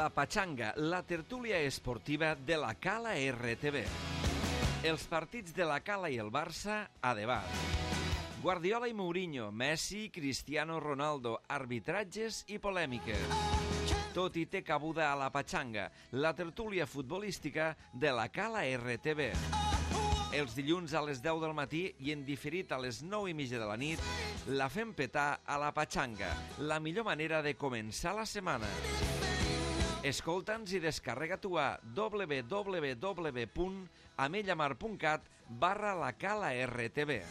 La Pachanga, la tertúlia esportiva de la Cala RTV. Els partits de la Cala i el Barça a debat. Guardiola i Mourinho, Messi, Cristiano Ronaldo, arbitratges i polèmiques. Tot hi té cabuda a La Pachanga, la tertúlia futbolística de la Cala RTV. Els dilluns a les 10 del matí i en diferit a les 9:30 de la nit, la fem petar a La Pachanga, la millor manera de començar la setmana. Escolta'ns i descarrega-t'ho a www.amellamar.cat/la Cala RTV.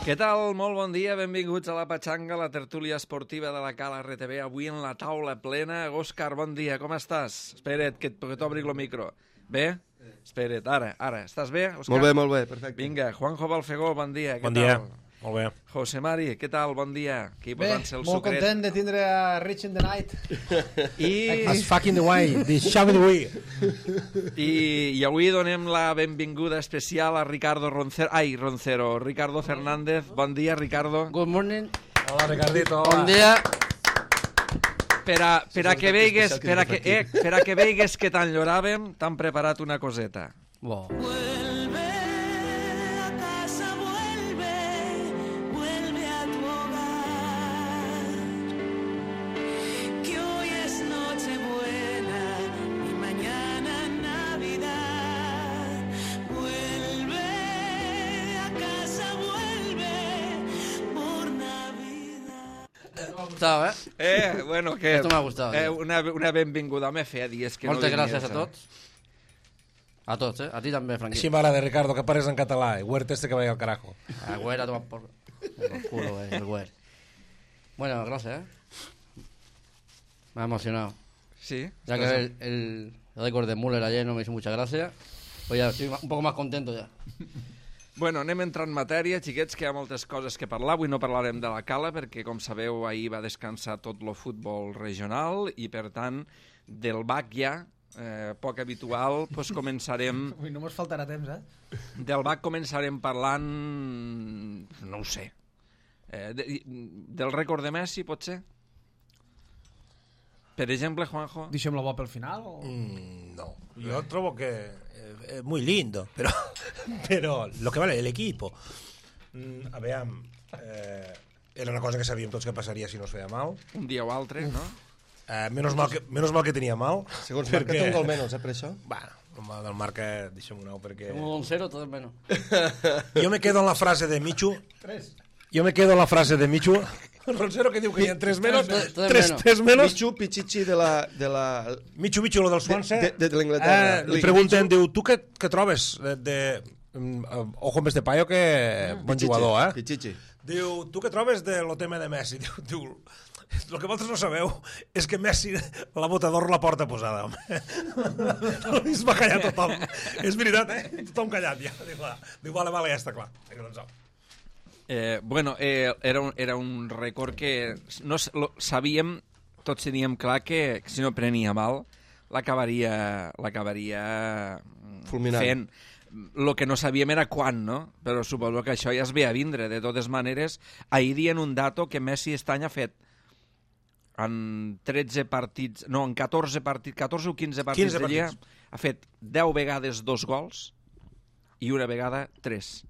Què tal? Molt bon dia, benvinguts a La Pachanga, la tertúlia esportiva de la Cala RTV, avui en la taula plena. Òscar, bon dia, com estàs? Espera't, que t'obri el micro. Bé? Espera't, ara. Estàs bé, Òscar? Molt bé, perfecte. Vinga, Juanjo Balfegó, bon dia. Bon dia, molt bé. José Mari, què tal? Bon dia. Aquí bé, molt content de tindre a Rich in the Night. As fucking the way, the shoving the way. I avui donem la benvinguda especial a Ricardo Ricardo Fernández. Bon dia, Ricardo. Good morning. Hola, Ricardito. Bon dia. Per a que veigues que t'enyoràvem, t'han preparat una coseta. Bo. Bueno, que... Esto me ha gustado. Una benvinguda. Me feia dies que Moltes no gràcies venies, a tots. A tots, A ti també, Franqui. Així m'agrada, Ricardo, que pares en català. Huerta este que vaya al carajo. A Güera, toma por culo, el Güer. Bueno, gracias, Me ha emocionado. Sí. Ya que el récord de Müller ayer no me hizo mucha gracia. Pues ya estoy un poco más contento ya. Bueno, anem a entrar en matèria, xiquets, que hi ha moltes coses que parlar. Avui no parlarem de la Cala perquè, com sabeu, ahir va descansar tot el futbol regional i, per tant, del BAC ja, poc habitual, doncs començarem... Ui, no mos faltarà temps, Del BAC començarem parlant... no ho sé. Del rècord de Messi, pot ser? Per exemple, Juanjo? Deixem la bo pel final? O... No, yo trovo que es muy lindo, pero lo que vale el equipo. A veure, era una cosa que sabíem tots que passaria si no es feia mal. Un dia o altre, no? Menos mal que tenia mal. Segons Marca té un gol menys, per això? Bueno, del Marca deixem-ho anar perquè... Un 1-0, todo es menos. Yo me quedo en la frase de Michu. 3. Yo me quedo en la frase de Michu. El Ronsero que diu que hi ha 3 menos. 3 menos. Michu Pichichi de la... Michu, lo del Swansea. De l'Inglaterra. Li pregunten, diu, tu què trobes ojo amb este paio, que bon jugador, Pichichi. Diu, tu què trobes de lo tema de Messi? Diu, el que vosaltres no sabeu és que Messi la bota d'or la porta posada, home. Es va callar tothom. És veritat, Tothom callat, ja. Diu, vale, ja està clar. Bueno, era un rècord que no sabíem, tots teníem clar que si no prenia mal l'acabaria fulminant. fent. El que no sabíem era quan, no? Però suposo que això ja es ve a vindre. De totes maneres, ahir dient un dato que Messi aquest any ha fet en 13 partits, no, en 14 o 15 partits de Lliga, ha fet 10 vegades 2 gols i una vegada 3.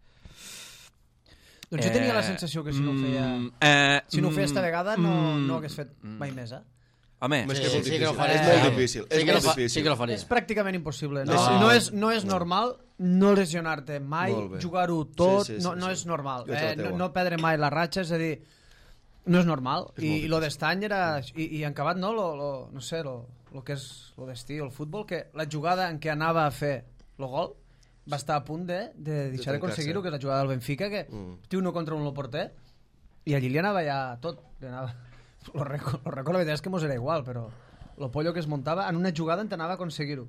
Doncs jo tenia la sensació que si no ho feia... si no ho feia esta vegada no hagués fet mai més, Home, Sí que lo faré. És molt difícil. Sí que lo faria. És pràcticament impossible. No. No és normal no lesionar-te mai, jugar-ho tot, no és normal. No perdre mai la ratxa, és a dir, no és normal. I lo d'estany era... I en acabat, no? No sé, lo que és lo destí, el futbol, que la jugada en què anava a fer el gol va estar a punt de deixar d'aconseguir-ho, que és la jugada del Benfica, que té uno contra un el porter, i allí li anava ja tot. Lo record, la veritat és que mos era igual, però lo pollo que es muntava en una jugada en t'anava a aconseguir-ho.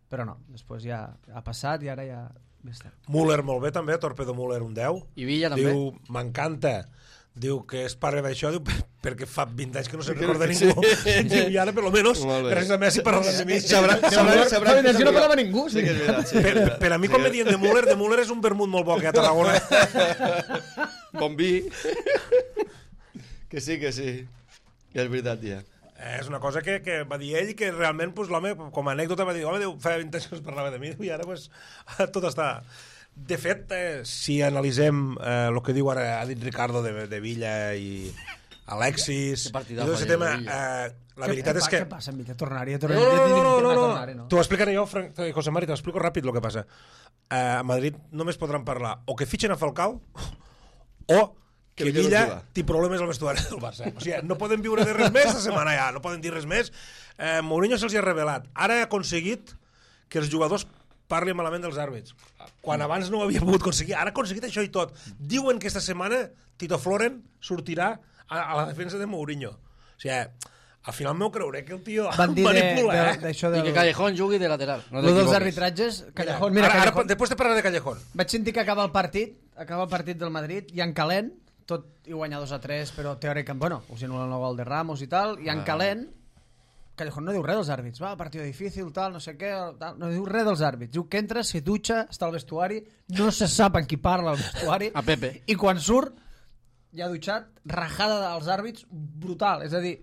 Però no, després ja ha passat i ara ja està. Müller molt bé també, Torpedo Müller un 10. I Villa també. Diu, m'encanta. Diu que és pare d'això, diu, perquè fa 20 anys que no se'n recorda ningú. I ara, per lo menos, gràcies a Messi parlant de mi. Fa 20 anys que no parlava ningú. Sí que és veritat. Per a mi, quan me diuen de Müller és un vermut molt bo que a Tarragona. Bon vi. Que sí. Ja és veritat, ja. És una cosa que va dir ell, que realment l'home, com a anècdota, va dir, home, fa 20 anys que es parlava de mi, i ara tot està... De fet, si analitzem el que diu ara, ha dit Ricardo de Villa i Alexis, i tot aquest tema, la veritat és que... Què passa amb Villa? Tornaria. No. T'ho explicaré jo, José Mari, t'ho explico ràpid el que passa. A Madrid només podran parlar o que fitxen a Falcao o que Villa té problemes al vestuari del Barça. O sigui, no poden viure de res més la setmana ja, no poden dir res més. Mourinho se'ls ha revelat. Ara ha aconseguit que els jugadors parli malament dels àrbits, quan abans no ho havia pogut aconseguir. Ara ha aconseguit això i tot. Diuen que esta setmana Tito Floren sortirà a la defensa de Mourinho. O sigui, al final m'ho creuré que el tio manipula, I que Callejón jugui de lateral. No dels arbitratges, Callejón... Mira, Callejón. Després te parlaré de Callejón. Vaig sentir que acaba el partit del Madrid, i en calent, tot i guanyar 2-3, però teòricament, bueno, us anulen el gol de Ramos i tal, i en calent, Callejón no diu res dels àrbits, va, partit difícil, tal, no sé què, tal, no diu res dels àrbits, diu que entra, se dutxa, està al vestuari, no se sap amb qui parla al vestuari, a Pepe, i quan surt, ja dutxat, rajada dels àrbits brutal, és a dir,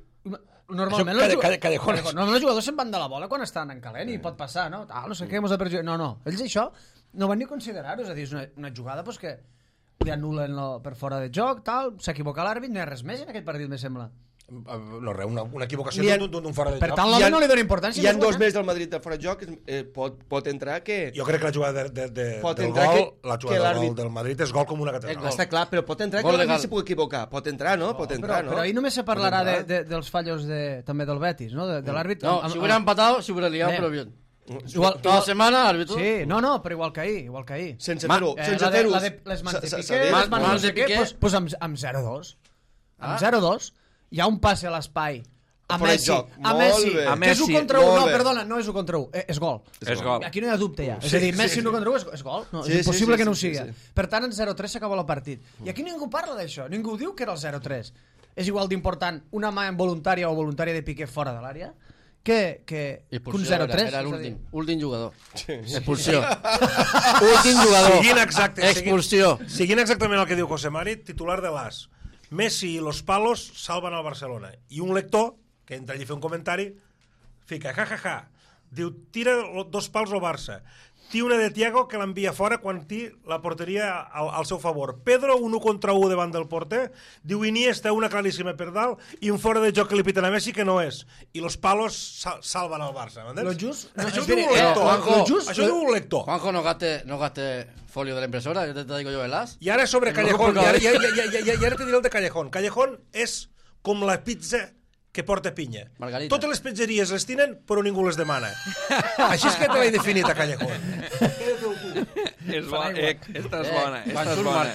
normalment els jugadors se'n van de la bola quan estan en calent i pot passar, no? No sé què, no, ells això no van ni considerar-ho, és a dir, és una jugada pues, que li anulen per fora de joc, tal, s'equivoca l'àrbit, no hi ha res més en aquest partit, me sembla. No, res, una equivocació d'un fora de joc. Per tant, l'home no li dona importància. Hi ha dos més del Madrid de fora de joc, pot entrar que... Jo crec que la jugada del gol del Madrid és gol com una catedral. Està clar, però pot entrar que l'àrbit se pugui equivocar. Pot entrar, no? Però ahir només se parlarà dels fallos també del Betis, no? De l'àrbit. No, si hubiera empatado, si hubiera liado, però bien. Toda la setmana, árbitro. Sí, no, però igual que ahir. Sense fer-ho. Les mans de Piqué, doncs amb 0-2. Amb 0-2. Hi ha un passe a l'espai a Messi, que és 1 contra 1, no, perdona, no és 1 contra 1, és gol. Aquí no hi ha dubte ja, és a dir, Messi 1 contra 1 és gol, és impossible que no ho sigui. Per tant, en 0-3 s'acaba el partit. I aquí ningú parla d'això, ningú diu que era el 0-3. És igual d'important una mà involuntària o voluntària de Piqué fora de l'àrea que un 0-3. Era l'últim jugador. Expulsió. Últim jugador. Expulsió. Seguint exactament el que diu José Mari, titular de l'AS. Messi i los palos salven al Barcelona. I un lector, que entra allí a fer un comentari, fica, diu, tira 2 pals al Barça. Té una de Thiago que l'envia fora quan té la porteria al seu favor. Pedro, un 1 contra 1 davant del porter. Diu Iniesta, una claríssima per dalt, i un fora de joc que li piten a Messi que no és. I los palos salven al Barça. Això diu un lector. Juanjo, no gaste folio de la impresora, te digo yo el as. I ara sobre Callejón, i ara te diré el de Callejón. Callejón és com la pizza que porta pinya. Margarita. Totes les pizzeries les tenen, però ningú les demana. Així és que te l'he definit a Callejón. És bona, esta és bona.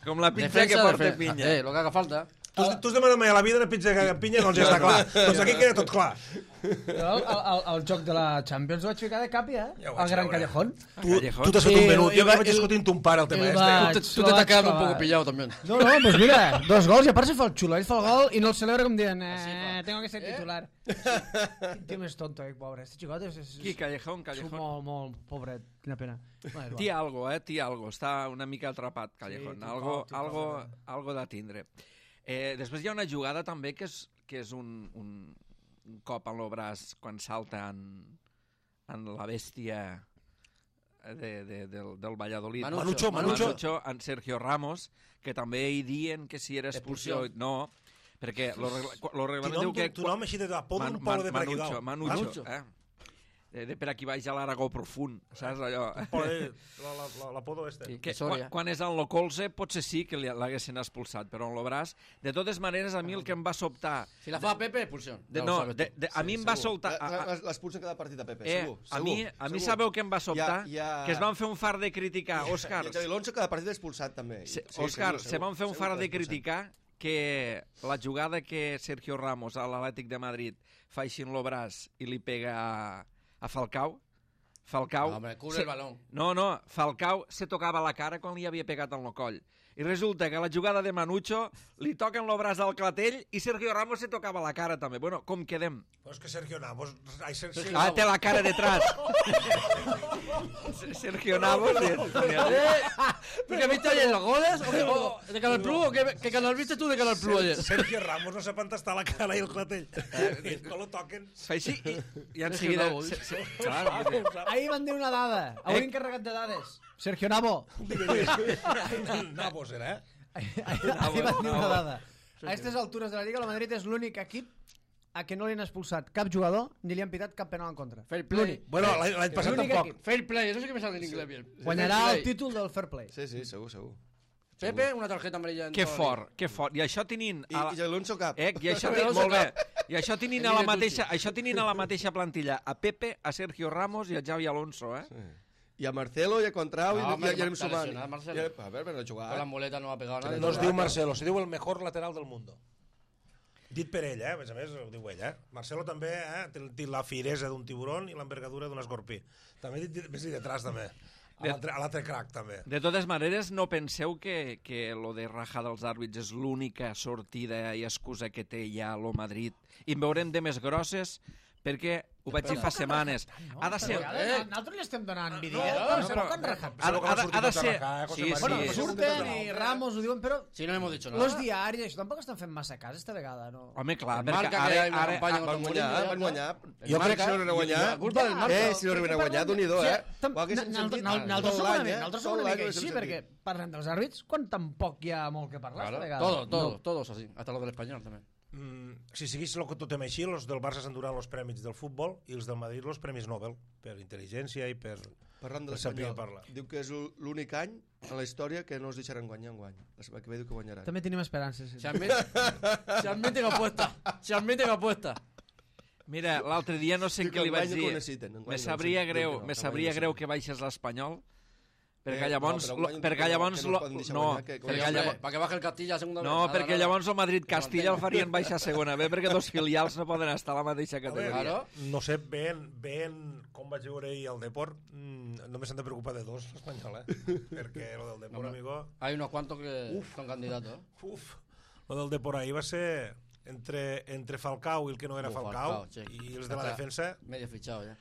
Com la pizza que porta pinya. Lo que haga falta. Tu has demanat mai a la vida una pizza que pinya, doncs ja està clar. Doncs aquí queda tot clar. El joc de la Champions ho vaig ficar de capi, el gran Callejón. Tu t'has fet un menut, jo vaig discutint un pare el tema este. Tu te t'ha quedat un poco pillado també. No, pues mira, 2 gols i a part se fa el xulo, ell fa el gol i no el celebra com dient tengo que ser titular. Tío més tonto, pobre. Este xicot és... Qui, Callejón? Molt pobret, quina pena. Té algo, està una mica atrapat, Callejón. Algo de tindre. Després hi ha una jugada també que és un cop en el braç quan salta en la bèstia del Valladolid. Manucho. En Sergio Ramos, que també hi dien que si era expulsió. No, perquè el reglament diu que... Tu nom així de podo un poble de per aquí dalt. Manucho. De per aquí baix a l'Aragó profund, saps allò? L'apodo este. Quan és en lo colze potser sí que l'haguessin expulsat, però en lo braç, de totes maneres, a mi el que em va sobtar... Si la fa Pepe, expulsió. No, a mi em va sobtar... L'expulsen cada partit a Pepe, segur. A mi sabeu què em va sobtar? Que es van fer un far de criticar, Òscar. I Xavi Alonso cada partit expulsat també. Òscar, se van fer un far de criticar que la jugada que Sergio Ramos a l'Atlètic de Madrid fa així en lo braç i li pega a Falcao. Hombre, cubre el balón. No, Falcao se tocava la cara quan li havia pegat en el coll. I resulta que a la jugada de Manucho li toquen el braç al clatell i Sergio Ramos se tocava la cara també. Bueno, com quedem? Pues que Sergio Navas... Ah, té la cara detrás. Sergio Navas... ¿Porque viste ayer los goles? ¿O de Canal Plus? ¿O qué canal viste tú de Canal Plus ayer? Sergio Ramos no sap on està la cara i el clatell. I no lo toquen. Fa així i en seguida... Ahir van dir una dada, a un encarregat de dades. Sergio Navo. Navos era, Ahir van dir una dada. A aquestes altures de la Lliga, el Madrid és l'únic equip a què no li han expulsat cap jugador ni li han pitat cap penal en contra. Fair play. Bueno, l'any passat tampoc. Fair play, eso sí que me sale en inglés bien. Guanyarà el títol del fair play. Sí, segur. Pepe, una tarjeta amarilla. Que fort. I això tenint... I Alonso cap. I això molt bé. I això tenint a la mateixa plantilla a Pepe, a Sergio Ramos i a Xavi Alonso, Sí. I a Marcelo, i a Contrau, i a Jeremy Sumant. A ver, pero jugar... Con la muleta no ha pegado nada. No es diu Marcelo, se diu el mejor lateral del mundo. Dit per ell, a més ho diu ell. Marcelo també té la firesa d'un tiburon i l'envergadura d'un escorpí. També més detrás, també. A l'altre crack, també. De totes maneres, no penseu que lo de rajar dels àrbits és l'única sortida i excusa que té ja el Madrid. I en veurem de més grosses, perquè ho vaig dir fa setmanes. Ha de ser... Nosaltres li estem donant vídeo. Ha de ser... Sí. Surten i Ramos ho diuen, però... Sí, no hemos dicho nada. Los diaris, això tampoc estan fent massa cas esta vegada, no? Home, clar, perquè ara van guanyar. Jo crec que si no arriben a guanyar... culpa del Marca. Si no arriben a guanyar, d'un-i-do, Nosaltres som una mica així, perquè parlem dels àrbits quan tampoc hi ha molt que parlar esta vegada. Todos así, hasta los del español també. Si seguís el que totem així, els del Barça s'enduran els prèmits del futbol i els del Madrid els premis Nobel per intel·ligència i per... Parlant de l'Espanyol, diu que és l'únic any en la història que no els deixaran guanyar en guany. La que ve diu que guanyaran. També tenim esperances. Se admiten apuesta. Mira, l'altre dia no sé què li vaig dir. Me sabria greu que baixés l'Espanyol, perquè llavors perquè baja el Castilla a segunda vez. No, perquè llavors el Madrid-Castilla el farien baixar a segona B, perquè dos filials no poden estar a la mateixa categoria. No sé, ben com vaig veure ahir el Deport, només s'han de preocupar de dos, l'Espanyol, perquè lo del Deport, amigo... Hay unos cuantos que son candidatos. Lo del Deport ahir va ser entre Falcao i el que no era Falcao, i els de la defensa... Medio fichado, ja.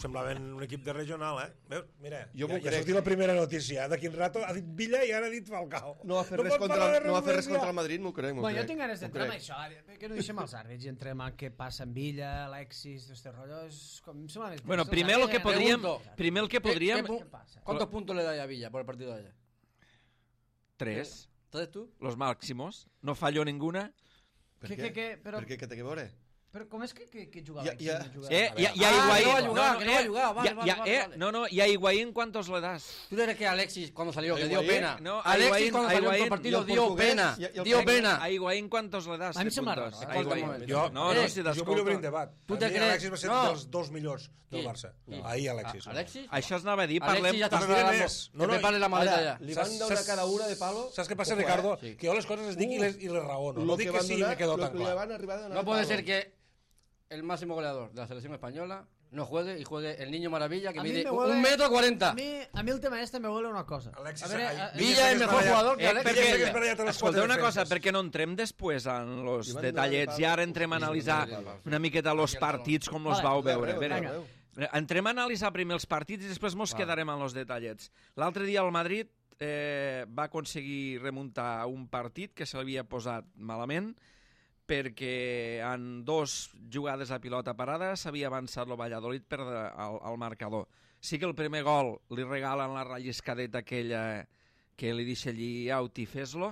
Semblaven un equip de regional, Veus? Mira, ja crec. sortit la primera notícia. De quin rato ha dit Villa i ara ha dit Falcao. No va fer res contra el Madrid, m'ho crec. Bueno, jo tinc ganes d'entrar en això, que no deixem els àrbits i entrem a què passa amb Villa, Alexis, este rotllo, és com... Bueno, primer el que podríem... ¿Cuántos puntos le da a Villa por el partido de ayer? 3. ¿Tres tú? Los máximos. No falló ninguna. Per què? Per què té que veure? Però com és que jugava? Y a Higuaín... No, y a Higuaín, ¿cuántos le das? ¿Tú crees que Alexis, cuando salió, que dio pena? No, Alexis, cuando salió en el partido, dio pena. A Higuaín, ¿cuántos le das? A mi em sembla raro. Jo vull obrir un debat. Tu te creus? Alexis va ser dels dos millors del Barça. Ahir Alexis. Això es anava a dir, parlem... Alexis ja t'està Pepe parle la maleta ja. Li van donar cada una de palo... Saps què passa, Ricardo? Que jo les coses les dic i les raono. No dic que sí me quedo tan clar. No puede ser que el máximo goleador de la selección española no juegue y juegue el Niño Maravilla que mide 1,40 m. A mi el tema este me huele una cosa. Villa es mejor jugador que Alexis. Escolta una cosa, perquè no entrem després en los detallets i ara entrem a analitzar una miqueta los partits com los vau veure. Entrem a analitzar primer els partits i després mos quedarem en los detallets. L'altre dia el Madrid va aconseguir remuntar un partit que se l'havia posat malament perquè en dos jugades a pilota parada s'havia avançat el Valladolid per al marcador. Sí que el primer gol li regalen la relliscadeta aquella que li deixa allí out i fes-lo,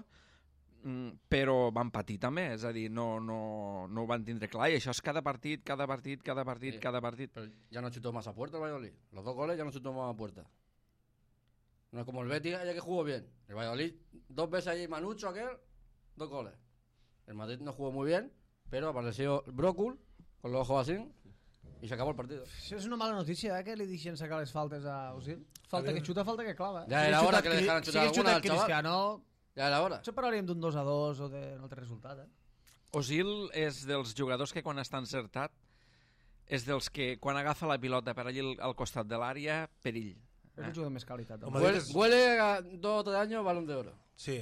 però van patir també, és a dir, no ho van tindre clar, i això és cada partit. Pero ya no chutó más a puerta el Valladolid. Los dos goles ya no chutó más a puerta. No es como el Betis, ayer que jugó bien. El Valladolid, 2 veces allí Manucho, aquel, 2 goles. El Madrid no jugó muy bien, pero apareció Brocul, con los ojos así, y se acabó el partido. Això és una mala notícia, que li deixen sacar les faltes a Osil. Falta que xuta, falta que clava. Ya era hora que le dejaran chutar alguna al chaval. Ja era hora. Això parlaríem d'un 2-2 o d'un altre resultat, Osil és dels jugadors que quan està encertat és dels que quan agafa la pilota per allí al costat de l'àrea, perill. És un jugador més qualitat. Huele a 2 o 3 años Balón de Oro. Sí,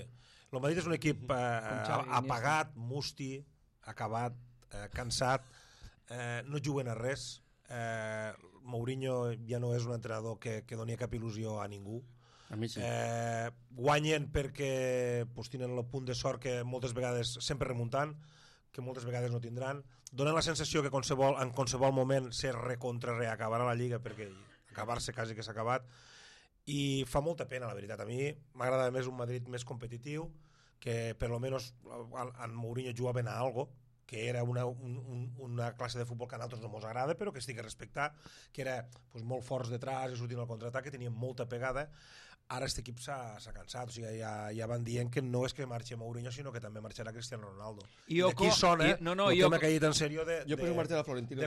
el Madrid és un equip apagat, musti, acabat, cansat, no juguen a res. Mourinho ja no és un entrenador que doni cap il·lusió a ningú. A mi sí. Guanyen perquè tenen el punt de sort que moltes vegades, sempre remuntant, que moltes vegades no tindran. Donen la sensació que en qualsevol moment se reacabarà la Lliga, perquè acabar-se quasi que s'ha acabat, i fa molta pena, la veritat. A mi m'agrada més un Madrid més competitiu, que per lo menos en Mourinho jugaven a algo, que era una classe de futbol que a nosaltres no ens agrada, però que estic a respectar, que era molt forts detrás i sortint al contraatac, que tenien molta pegada. Ara aquest equip s'ha cansat, o sigui, ja van dient que no és que marxi Mourinho, sinó que també marxarà Cristiano Ronaldo. I aquí sona el tema que ha dit en sèrio de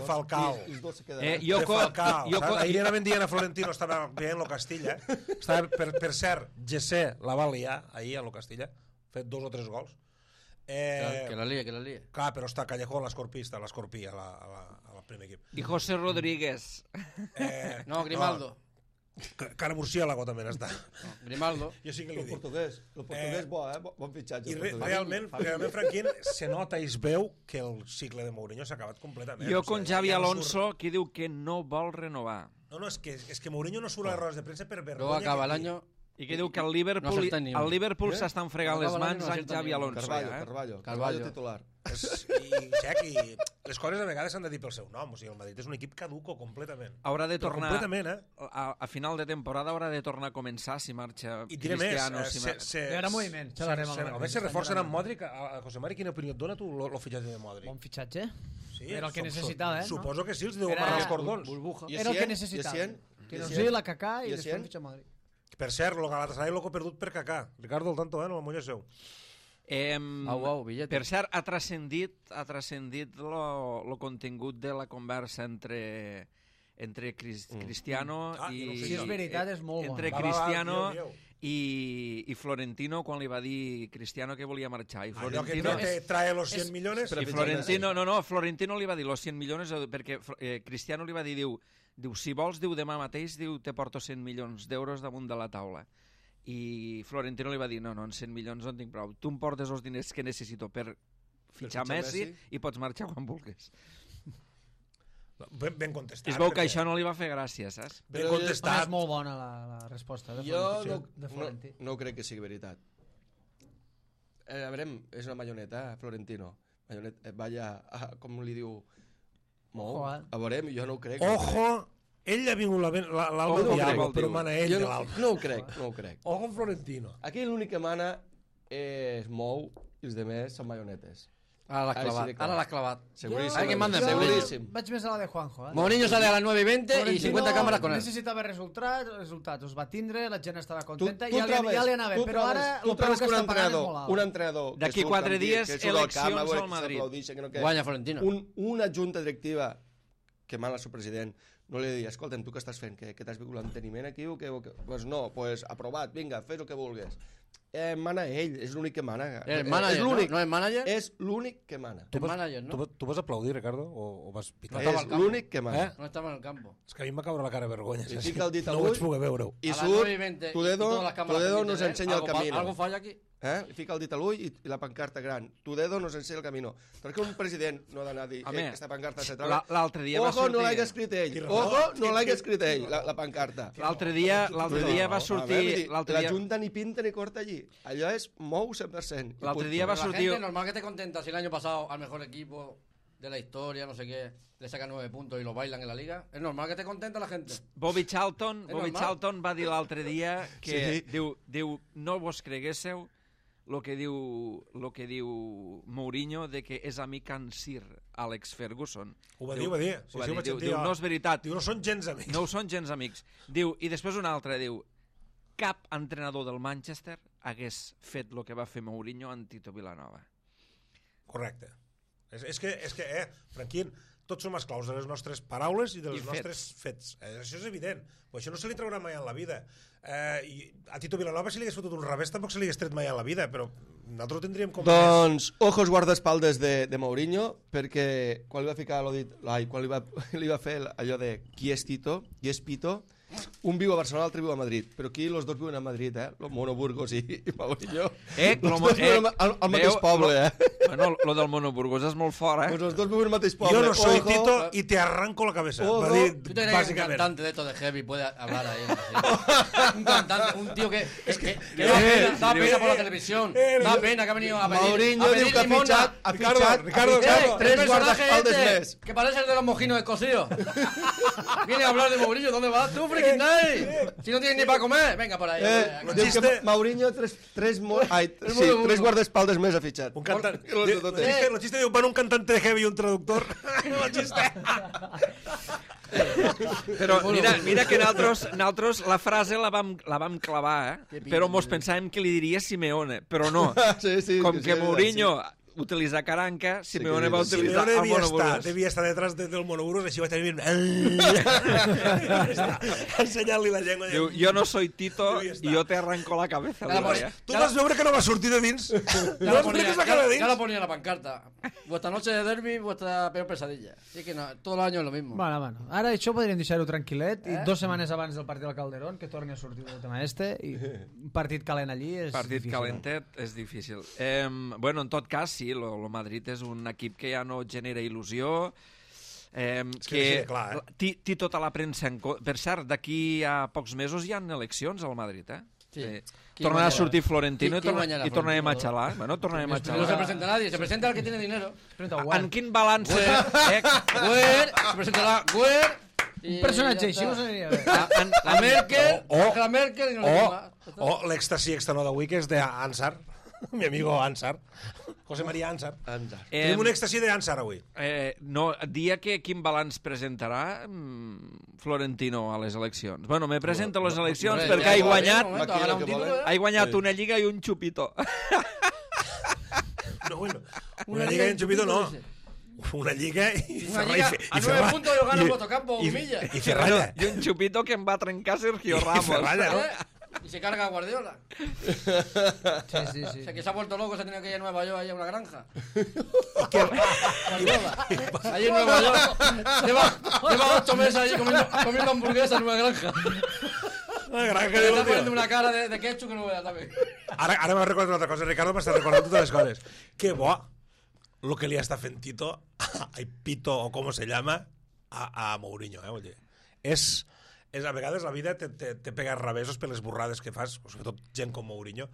Falcao. De Falcao. Ahir anaven dient a Florentino, estava veient lo Castilla, per cert, Gessé la va liar ahir a lo Castilla, fet 2 o 3 gols. Que la lia. Clar, però està Callejón, l'escorpista, l'escorpí al primer equip. I José Rodríguez. No, Grimaldo. Cara Murciélago també n'està. Grimaldo. Jo sí que li dic. El portuguès bon fitxatge. I realment, Franquín, se nota i es veu que el cicle de Mourinho s'ha acabat completament. Jo con Xavi Alonso, que diu que no vol renovar. No, és que Mourinho no surt a les rodes de premsa per vergonya. Luego acaba l'any... I que diu que el Liverpool s'estan fregant les mans amb Xavi Alonso. Carvalho titular. I les coses a vegades s'han de dir pel seu nom. O sigui, el Madrid és un equip caduco completament. Haurà de tornar, completament, a final de temporada haurà de tornar a començar si marxa Cristiano. Hi haurà moviment. Se reforcen amb Modric. A José Mari, quina opinió et dona tu el fitxatge de Modric? Bon fitxatge. Sí, era el que necessitava, Suposo que sí, els deu amarrar els cordons. Era el que necessitava. Que no sigui la Kaká i després fitxar Modric. Per cert, el Galatasaray l'ho perdut per Kaká. Ricardo, el tanto, no el molla seu. Per cert, ha transcendit el contingut de la conversa entre Cristiano i... Si és veritat, és molt entre Cristiano i Florentino, quan li va dir Cristiano que volia marxar. Allò que trae los 100 millones... I Florentino li va dir los 100 millones perquè Cristiano li va dir, diu, si vols, diu, demà mateix, diu, te porto 100 milions d'euros damunt de la taula. I Florentino li va dir, no, en 100 milions no en tinc prou. Tu em portes els diners que necessito per fitxar Messi i pots marxar quan vulguis. Ben contestat. Es veu que això no li va fer gràcia, saps? Ben contestat. És molt bona la resposta de Florentino. Jo no crec que sigui veritat. A veure, és una marioneta, Florentino. Vaya, com li diu... A veure, jo no ho crec. Ojo! Ell ha vingut l'Alba Diallo, però mana ell de l'Alba. No ho crec. Ojo Florentino. Aquí l'únic que mana és Mou i els demés són marionetes. Ara l'ha clavat. Seguríssim. Vaig més a la de Juanjo. Mourinho sale a las 9:20 y 50 cámaras con él. Necessitava resultats, els va tindre, la gent estava contenta i ja li anava bé, però ara el preu que està pagant és molt alt. Un entrenador d'aquí 4 dies, eleccions al Madrid. Guanya Florentino. Una junta directiva que mana el seu president no li diu, escolta'm, tu què estàs fent? Que t'has vingut l'enteniment aquí? Doncs no, aprovat, vinga, fes el que vulguis. Mana ell, és l'únic que mana. És manager, no és manager? És l'únic que mana. Tu vas aplaudir, Ricardo, o vas pitar? És l'únic que mana. No estava en el campo. És que a mi m'ha caure la cara de vergonya. I fica el dit a l'ull. No vaig poder veure-ho. I surt, Toledo nos enseña el camino. Algo falla aquí. Li fica el dit a l'ull i la pancarta gran. Toledo nos enseña el camino. Perquè un president no ha d'anar a dir aquesta pancarta se troba. L'altre dia va sortir... Ojo, no l'hagi escrit ell. Ojo, no l'hagi escrit ell, la pancarta. L'altre dia va sortir... La junta ni pinta ni corta allí. Allò és Mou 100%. L'altre dia va sortir... La gente normal que te contenta si el año pasado al mejor equipo de la historia, no sé qué, le sacan 9 puntos y lo bailan en la liga. Es normal que te contenta la gente. Bobby Charlton va dir l'altre dia que diu, no vos creguéssiu el que diu Mourinho de que és amic en Sir Alex Ferguson. Ho va dir. Diu, no és veritat. Diu, no són gens amics. No són gens amics. Diu, i després un altre diu, cap entrenador del Manchester hagués fet el que va fer Mourinho en Tito Vilanova. Correcte. És que Franquín, tots som esclaus de les nostres paraules i dels nostres fets. Això és evident. Però això no se li traurà mai en la vida. A Tito Vilanova, si li hagués fotut un revés, tampoc se li hagués tret mai en la vida, però nosaltres tindríem com... Doncs, ojos guardaespaldes de Mourinho, perquè quan li va ficar quan li va fer allò de qui és Tito, qui és Pito, un viu a Barcelona, l'altre viu a Madrid, però aquí els dos viuen a Madrid, el Mono Burgos i Mourinho. Al mateix poble, Bueno, lo del Mono Burgos és molt fort, Pues los dos viven al mateix poble. Yo no soy Tito y te arranco la cabeza. ¿Tú te crees que un cantante de esto de heavy puede hablar ahí? Un cantante, un tío que da pena por la televisión, da pena que ha venido a pedir Mourinho diu que ha fitxat Ricardo, tres guardaespaldes més. que parece el de los mojinos escocidos. Viene a hablar de Mourinho, ¿dónde vas tú, freaking night? Si no tienes ni para comer, venga por ahí. Diu que Mourinho tres guardaespaldes més ha fitxat. Un cantante. Lo chiste diu, van un cantante de heavy y un traductor. Lo chiste. Però mira que nosaltres la frase la vam clavar, però mos pensàvem que li diria Simeone, però no. Com que Mourinho utilitza Caranca, Simeone va utilitzar el Mono Burgos. Devia estar detrás del Mono Burgos, així va estar bien. Ensenyant-li la llengua. Diu, jo no soy Tito i jo te arranco la cabeza. Tu vas veure que no va sortir de dins. No vas veure que es va quedar dins. Ya lo ponía en la pancarta. Vuestra noche de derbi, vuestra peor pesadilla. Así que no, todo el año es lo mismo. Bueno. Ara això podríem deixar-ho tranquil·let i 2 setmanes abans del partit del Calderón que torni a sortir el tema i un partit calent allí és partit difícil. calentet és difícil. Bueno, en tot cas, sí, el Madrid és un equip que ja no genera il·lusió, que té tota la premsa en compte. Per cert, d'aquí a pocs mesos hi ha eleccions al Madrid, Sí. Tornarà a sortir Florentino i tornarem a xalar. Bueno, tornarem a xalar. No se presenta nadie, se presenta el que tiene dinero. En quin balanç... Güer, se presentarà Güer... Un personatge així us aniria bé. La Merkel, la Merkel i no le más. O l'èxtasi externó d'avui, que és d'Ansar, mi amigo Ansar, José María Ansar. Tenim un èxtasi d'Ansar avui. No, dia que quin balanç presentarà Florentino a les eleccions. Bueno, me presento a les eleccions perquè ha guanyat una lliga i un xupito. No, bueno, una lliga i un xupito no. Una lliga i Una lliga a 9 puntos y lo gana Motocampo, humilla. I Ferralla. I un xupito que em va trencar Sergio Ramos. I Ferralla, ¿no? Y se carga a Guardiola. Sí. O sea, que se ha vuelto loco, se ha tenido que ir a Nueva York ahí a una granja. Ahí en Nueva York. Lleva 8 meses ahí comiendo hamburguesas en una granja. Una granja Le está poniendo una cara de ketchup que no veas también. Ara m'ha recordat una altra cosa. Ricardo m'està recordant totes les coses. Que bo lo que li està fent Tito, Pito o com se llama, a Mourinho. Vull dir, és a vegades la vida te pega revesos per les burrades que fas, sobretot gent com Mourinho.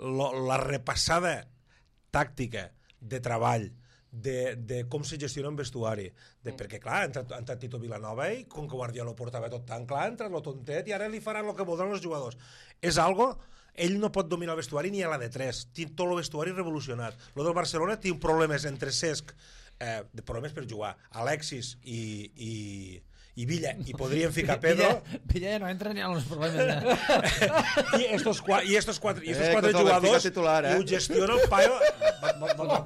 La repassada tàctica de treball, de com se gestiona un vestuari, perquè clar, ha entrat Tito Vilanova i com que Guardiola ho portava tot tan clar, ha entrat lo tontet i ara li faran el que voldran els jugadors. És algo... Ell no pot dominar el vestuari ni a la de 3. Té tot el vestuari revolucionat. Lo del Barcelona té problemes entre Cesc, problemes per jugar, Alexis i Villa, i podrien ficar Pedro. Villa ja no entra ni en els problemes. I estos quatre jugadors i ho gestiona el paio.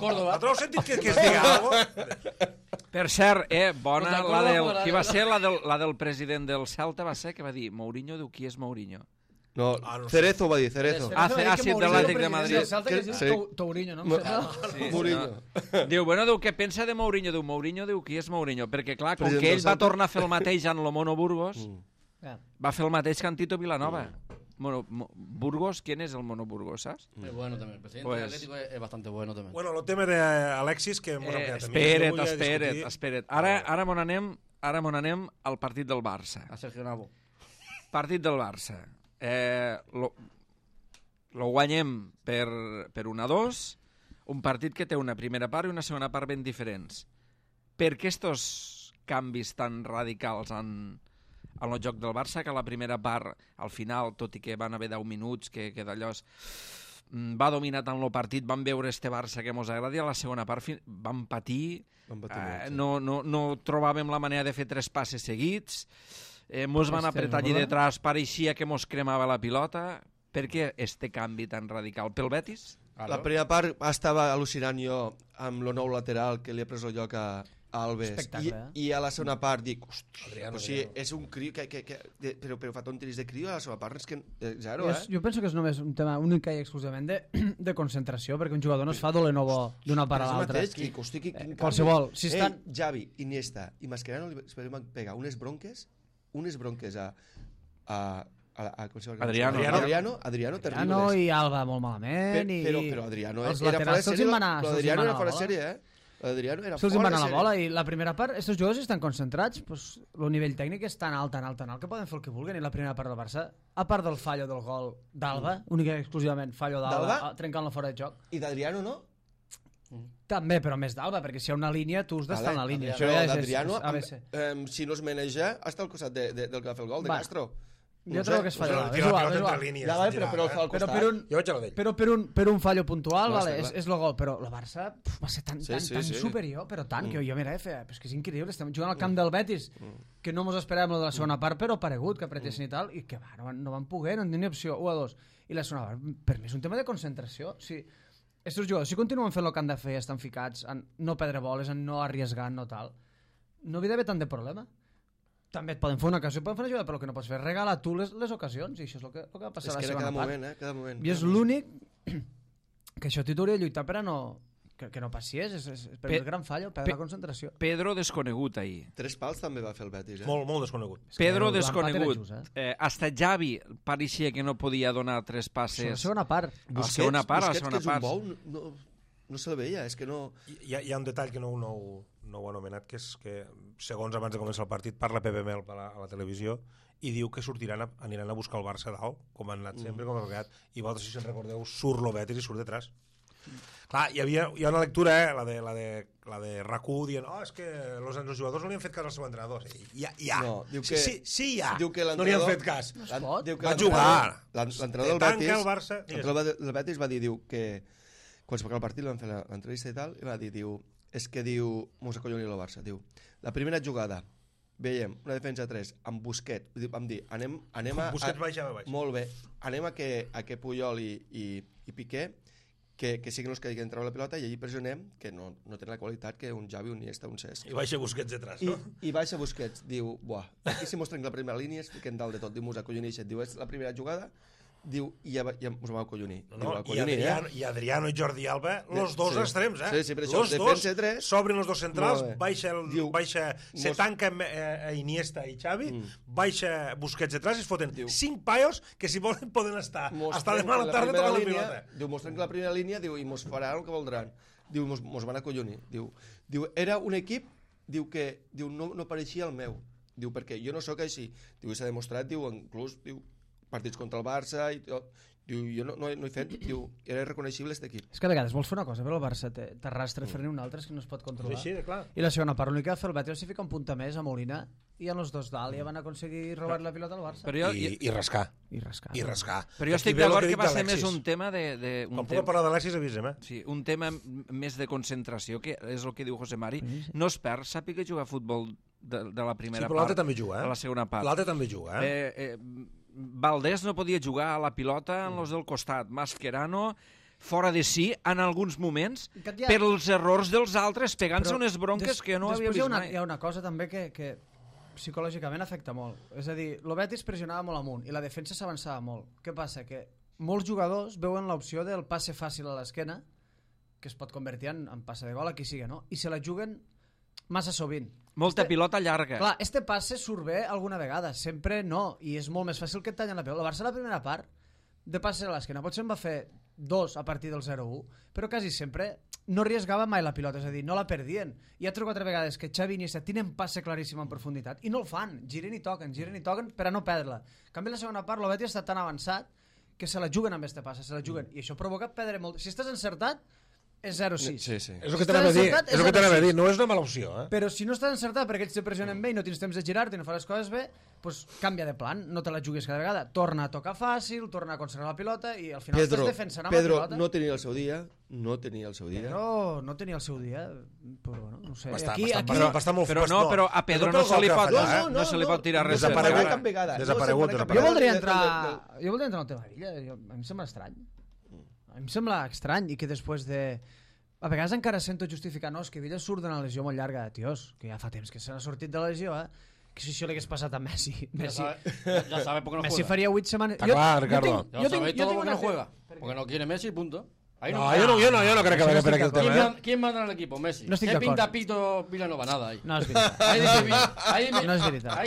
Córdoba. T'heu sentit que es diga alguna? Per cert, bona, qui va ser la del president del Celta, va ser que va dir Mourinho diu qui és Mourinho. No, Cerezo va dir, Cerezo. Sí, de l'Atlètic de Madrid. Tourinho, no? Mourinho. Diu, què pensa de Mourinho? Diu, Mourinho diu qui és Mourinho. Perquè, clar, com que ell va tornar a fer el mateix en el Mono Burgos, va fer el mateix que en Tito Vilanova. Burgos, ¿quién es el Mono Burgos, saps? Es bueno también, el presidente del Atlético es bastante bueno también. Bueno, el tema d'Alexis, que hemos ampliat també. Espera't. Ara mon anem al partit del Barça. A Sergio Navo. Partit del Barça. Lo guanyem per 1-2, un partit que té una primera part i una segona part ben diferents. Per què estos canvis tan radicals en el joc del Barça, que la primera part, al final, tot i que van haver 10 minuts, que d'allò va dominar tant el partit, vam veure este Barça que mos agradi, a la segona part vam patir, no trobàvem la manera de fer 3 passes seguits, mos van apretar allí detrás, pareixia que mos cremava la pilota. Per què este canvi tan radical? Pel Betis? La primera part estava al·lucinant jo amb el nou lateral que li ha pres el lloc a Alves. I a la segona part dic, hòstia, és un criu però fa tonteries de criu a la segona part, és que zero, Jo penso que és només un tema únic i exclusivament de concentració, perquè un jugador no es fa dolent o bo d'una part a l'altra. Qualsevol. Xavi, Iniesta i Mascherano li van pegar unes bronques Adriano terribles. I Alba molt malament. Però Adriano els era fora de laterals sèrie. Adriano era fora de sèrie, L'Adriano era se'ls fora van de a la sèrie. bola i la primera part, aquests jugadors estan concentrats, el nivell tècnic és tan alt que poden fer el que vulguin, i la primera part del Barça, a part del fallo del gol d'Alba, única i exclusivament fallo d'Alba, trencant-lo fora de joc. I d'Adriano no? També, però més d'Alba, perquè si hi ha una línia, tu has d'estar en la línia. Però d'Adriano, si no es maneja, està al costat del que va fer el gol, de Castro. Jo trobo que es fallo d'Alba. Però per un fallo puntual és el gol, però el Barça va ser tan superior, però tant, que jo mira, és que és increïble, estem jugant al camp del Betis, que no mos esperàvem de la segona part, però paregut, que apretessin i tal, i que no van poder, no tenien opció, 1-2. I la segona part, per mi és un tema de concentració. Estos jugadors, si continuen fent el que han de fer, estan ficats en no perdre boles, en no arriesgar, no tal, no havia d'haver tant de problema. També et poden fer una ocasió, poden fer una jugada, però el que no pots fer és regalar tu les ocasions, i això és el que va passar a la segona part. Cada moment. I és l'únic que això t'hi hauria de lluitar per a no... que no passies, és el gran fallo, perdre la concentració. Pedro desconegut ahir. 3 pals també va fer el Betis, Molt desconegut. Pedro desconegut. Hasta Xavi pareixia que no podia donar 3 passes. A la segona part. Busquets, que és un bou, no se'l veia, és que no... Hi ha un detall que no ho ha anomenat, que és que, segons abans de començar el partit, parla Pepe Mel a la televisió i diu que aniran a buscar el Barça dalt, com han anat sempre, com han quedat, i vosaltres, si se'n recordeu, surt lo Betis i surt detrás. Clar, hi ha una lectura, la de RAC1 dient, és que els jugadors no li han fet cas al seu entrenador. No, diu que... Sí, hi ha. Diu que no li han fet cas. No es pot. Va jugar. L'entrenador del Betis va dir, diu que quan es va acabar el partit, van fer l'entrevista i tal, i va dir, és que mos acolloni el Barça, la primera jugada, veiem una defensa 3 amb Busquets, vam dir, anem a... Busquets baixa. Molt bé, anem a que Puyol i Piqué, que siguin els que hagin treure la pilota, i allí pressionem, que no tenen la qualitat que un Xavi, un Iniesta, un Cesc. I baixa Busquets detrás, no? I baixa Busquets, diu, aquí si mostren la primera línia, es fiquen dalt de tot, diu, mos acollonixen, diu, és la primera jugada, diu, i ja mos vam acollonir. I Adriano i Jordi Alba, los dos extrems, Sí, per això, defensa 3. S'obren els dos centrals, se tanca Iniesta i Xavi, baixa Busquets detrás i es foten 5 paios que si volen poden estar hasta demà a la tarda tocant la pilota. Diu, mostren que la primera línia, diu, i mos faran el que voldran. Diu, mos van acollonir. Diu, era un equip, diu, que no pareixia el meu. Diu, perquè jo no sóc així. Diu, s'ha demostrat, diu, inclús, diu, partits contra el Barça i tot. Diu, jo no he fet, diu, era reconeixible aquest equip. És que a vegades vols fer una cosa, però el Barça t'arrastra a fer-ne una altra, és que no es pot controlar. Sí, clar. I la segona part, l'únic que va fer el Betis va ficar un punta més a Molina i en els dos dalt ja van aconseguir robar la pilota al Barça. I rascar. I rascar. Però jo estic d'acord que va ser més un tema de quan puc parlar d'Alexis, avisem, Sí, un tema més de concentració, que és el que diu José Mari. No es perd, sàpiga jugar a futbol de la primera part. Sí, però l'altre també juga, a la segona part. L'altre també juga, Valdés no podia jugar a la pilota en los del costat. Mascherano fora de si en alguns moments per els errors dels altres, pegant-se unes bronques que no havia vist mai. Hi ha una cosa també que psicològicament afecta molt. És a dir, el Betis pressionava molt amunt i la defensa s'avançava molt. Què passa? Que molts jugadors veuen l'opció del passe fàcil a l'esquena, que es pot convertir en passe de gol, a qui sigui, no? I se la juguen massa sovint. Molta pilota llarga. Clar, este passe surt bé alguna vegada, sempre no, i és molt més fàcil que et tallen la pilota. El Barça la primera part de passe a l'esquena, potser en va fer 2 a partir del 0-1, però quasi sempre no arriesgava mai la pilota, és a dir, no la perdien. Hi ha 3 o 4 vegades que Xavi i Iniesta tenen passe claríssim en profunditat i no el fan, giren i toquen per a no perdre-la. En canvi, la segona part, el Betis està tan avançat que se la juguen amb este passe, se la juguen, i això provoca perdre molt. Si estàs encertat, és 0-6. Sí. És el que t'anava a dir, no és una mala opció. Però si no estàs encertat perquè ells te pressionen bé i no tens temps de girar-te i no fa les coses bé, doncs canvia de plan, no te la juguis cada vegada. Torna a tocar fàcil, torna a conservar la pilota i al final estàs defensant amb la pilota. Pedro no tenia el seu dia, no tenia el seu dia, però bueno, no sé. Està molt fort. Però a Pedro no se li pot tirar res. Desaparegut. Jo voldria entrar en el tema d'ella, a mi em sembla estrany. A mi em sembla estrany i que després de... A vegades encara sento justificar, no, és que Villa surt d'una lesió molt llarga, tios, que ja fa temps que se n'ha sortit de la lesió, que si això li hagués passat a Messi. Ya sabe por qué no juega. Messi faria 8 setmanes. Está claro, Ricardo. Ya sabe todo por qué no juega. Porque no quiere Messi, punto. No, yo no creo que vaya por aquí el tema. ¿Quién manda en el equipo? Messi. No estic ¿Qué d'acord. pinta Pito Vilanova? Nada ahí. No és veritat. No és veritat.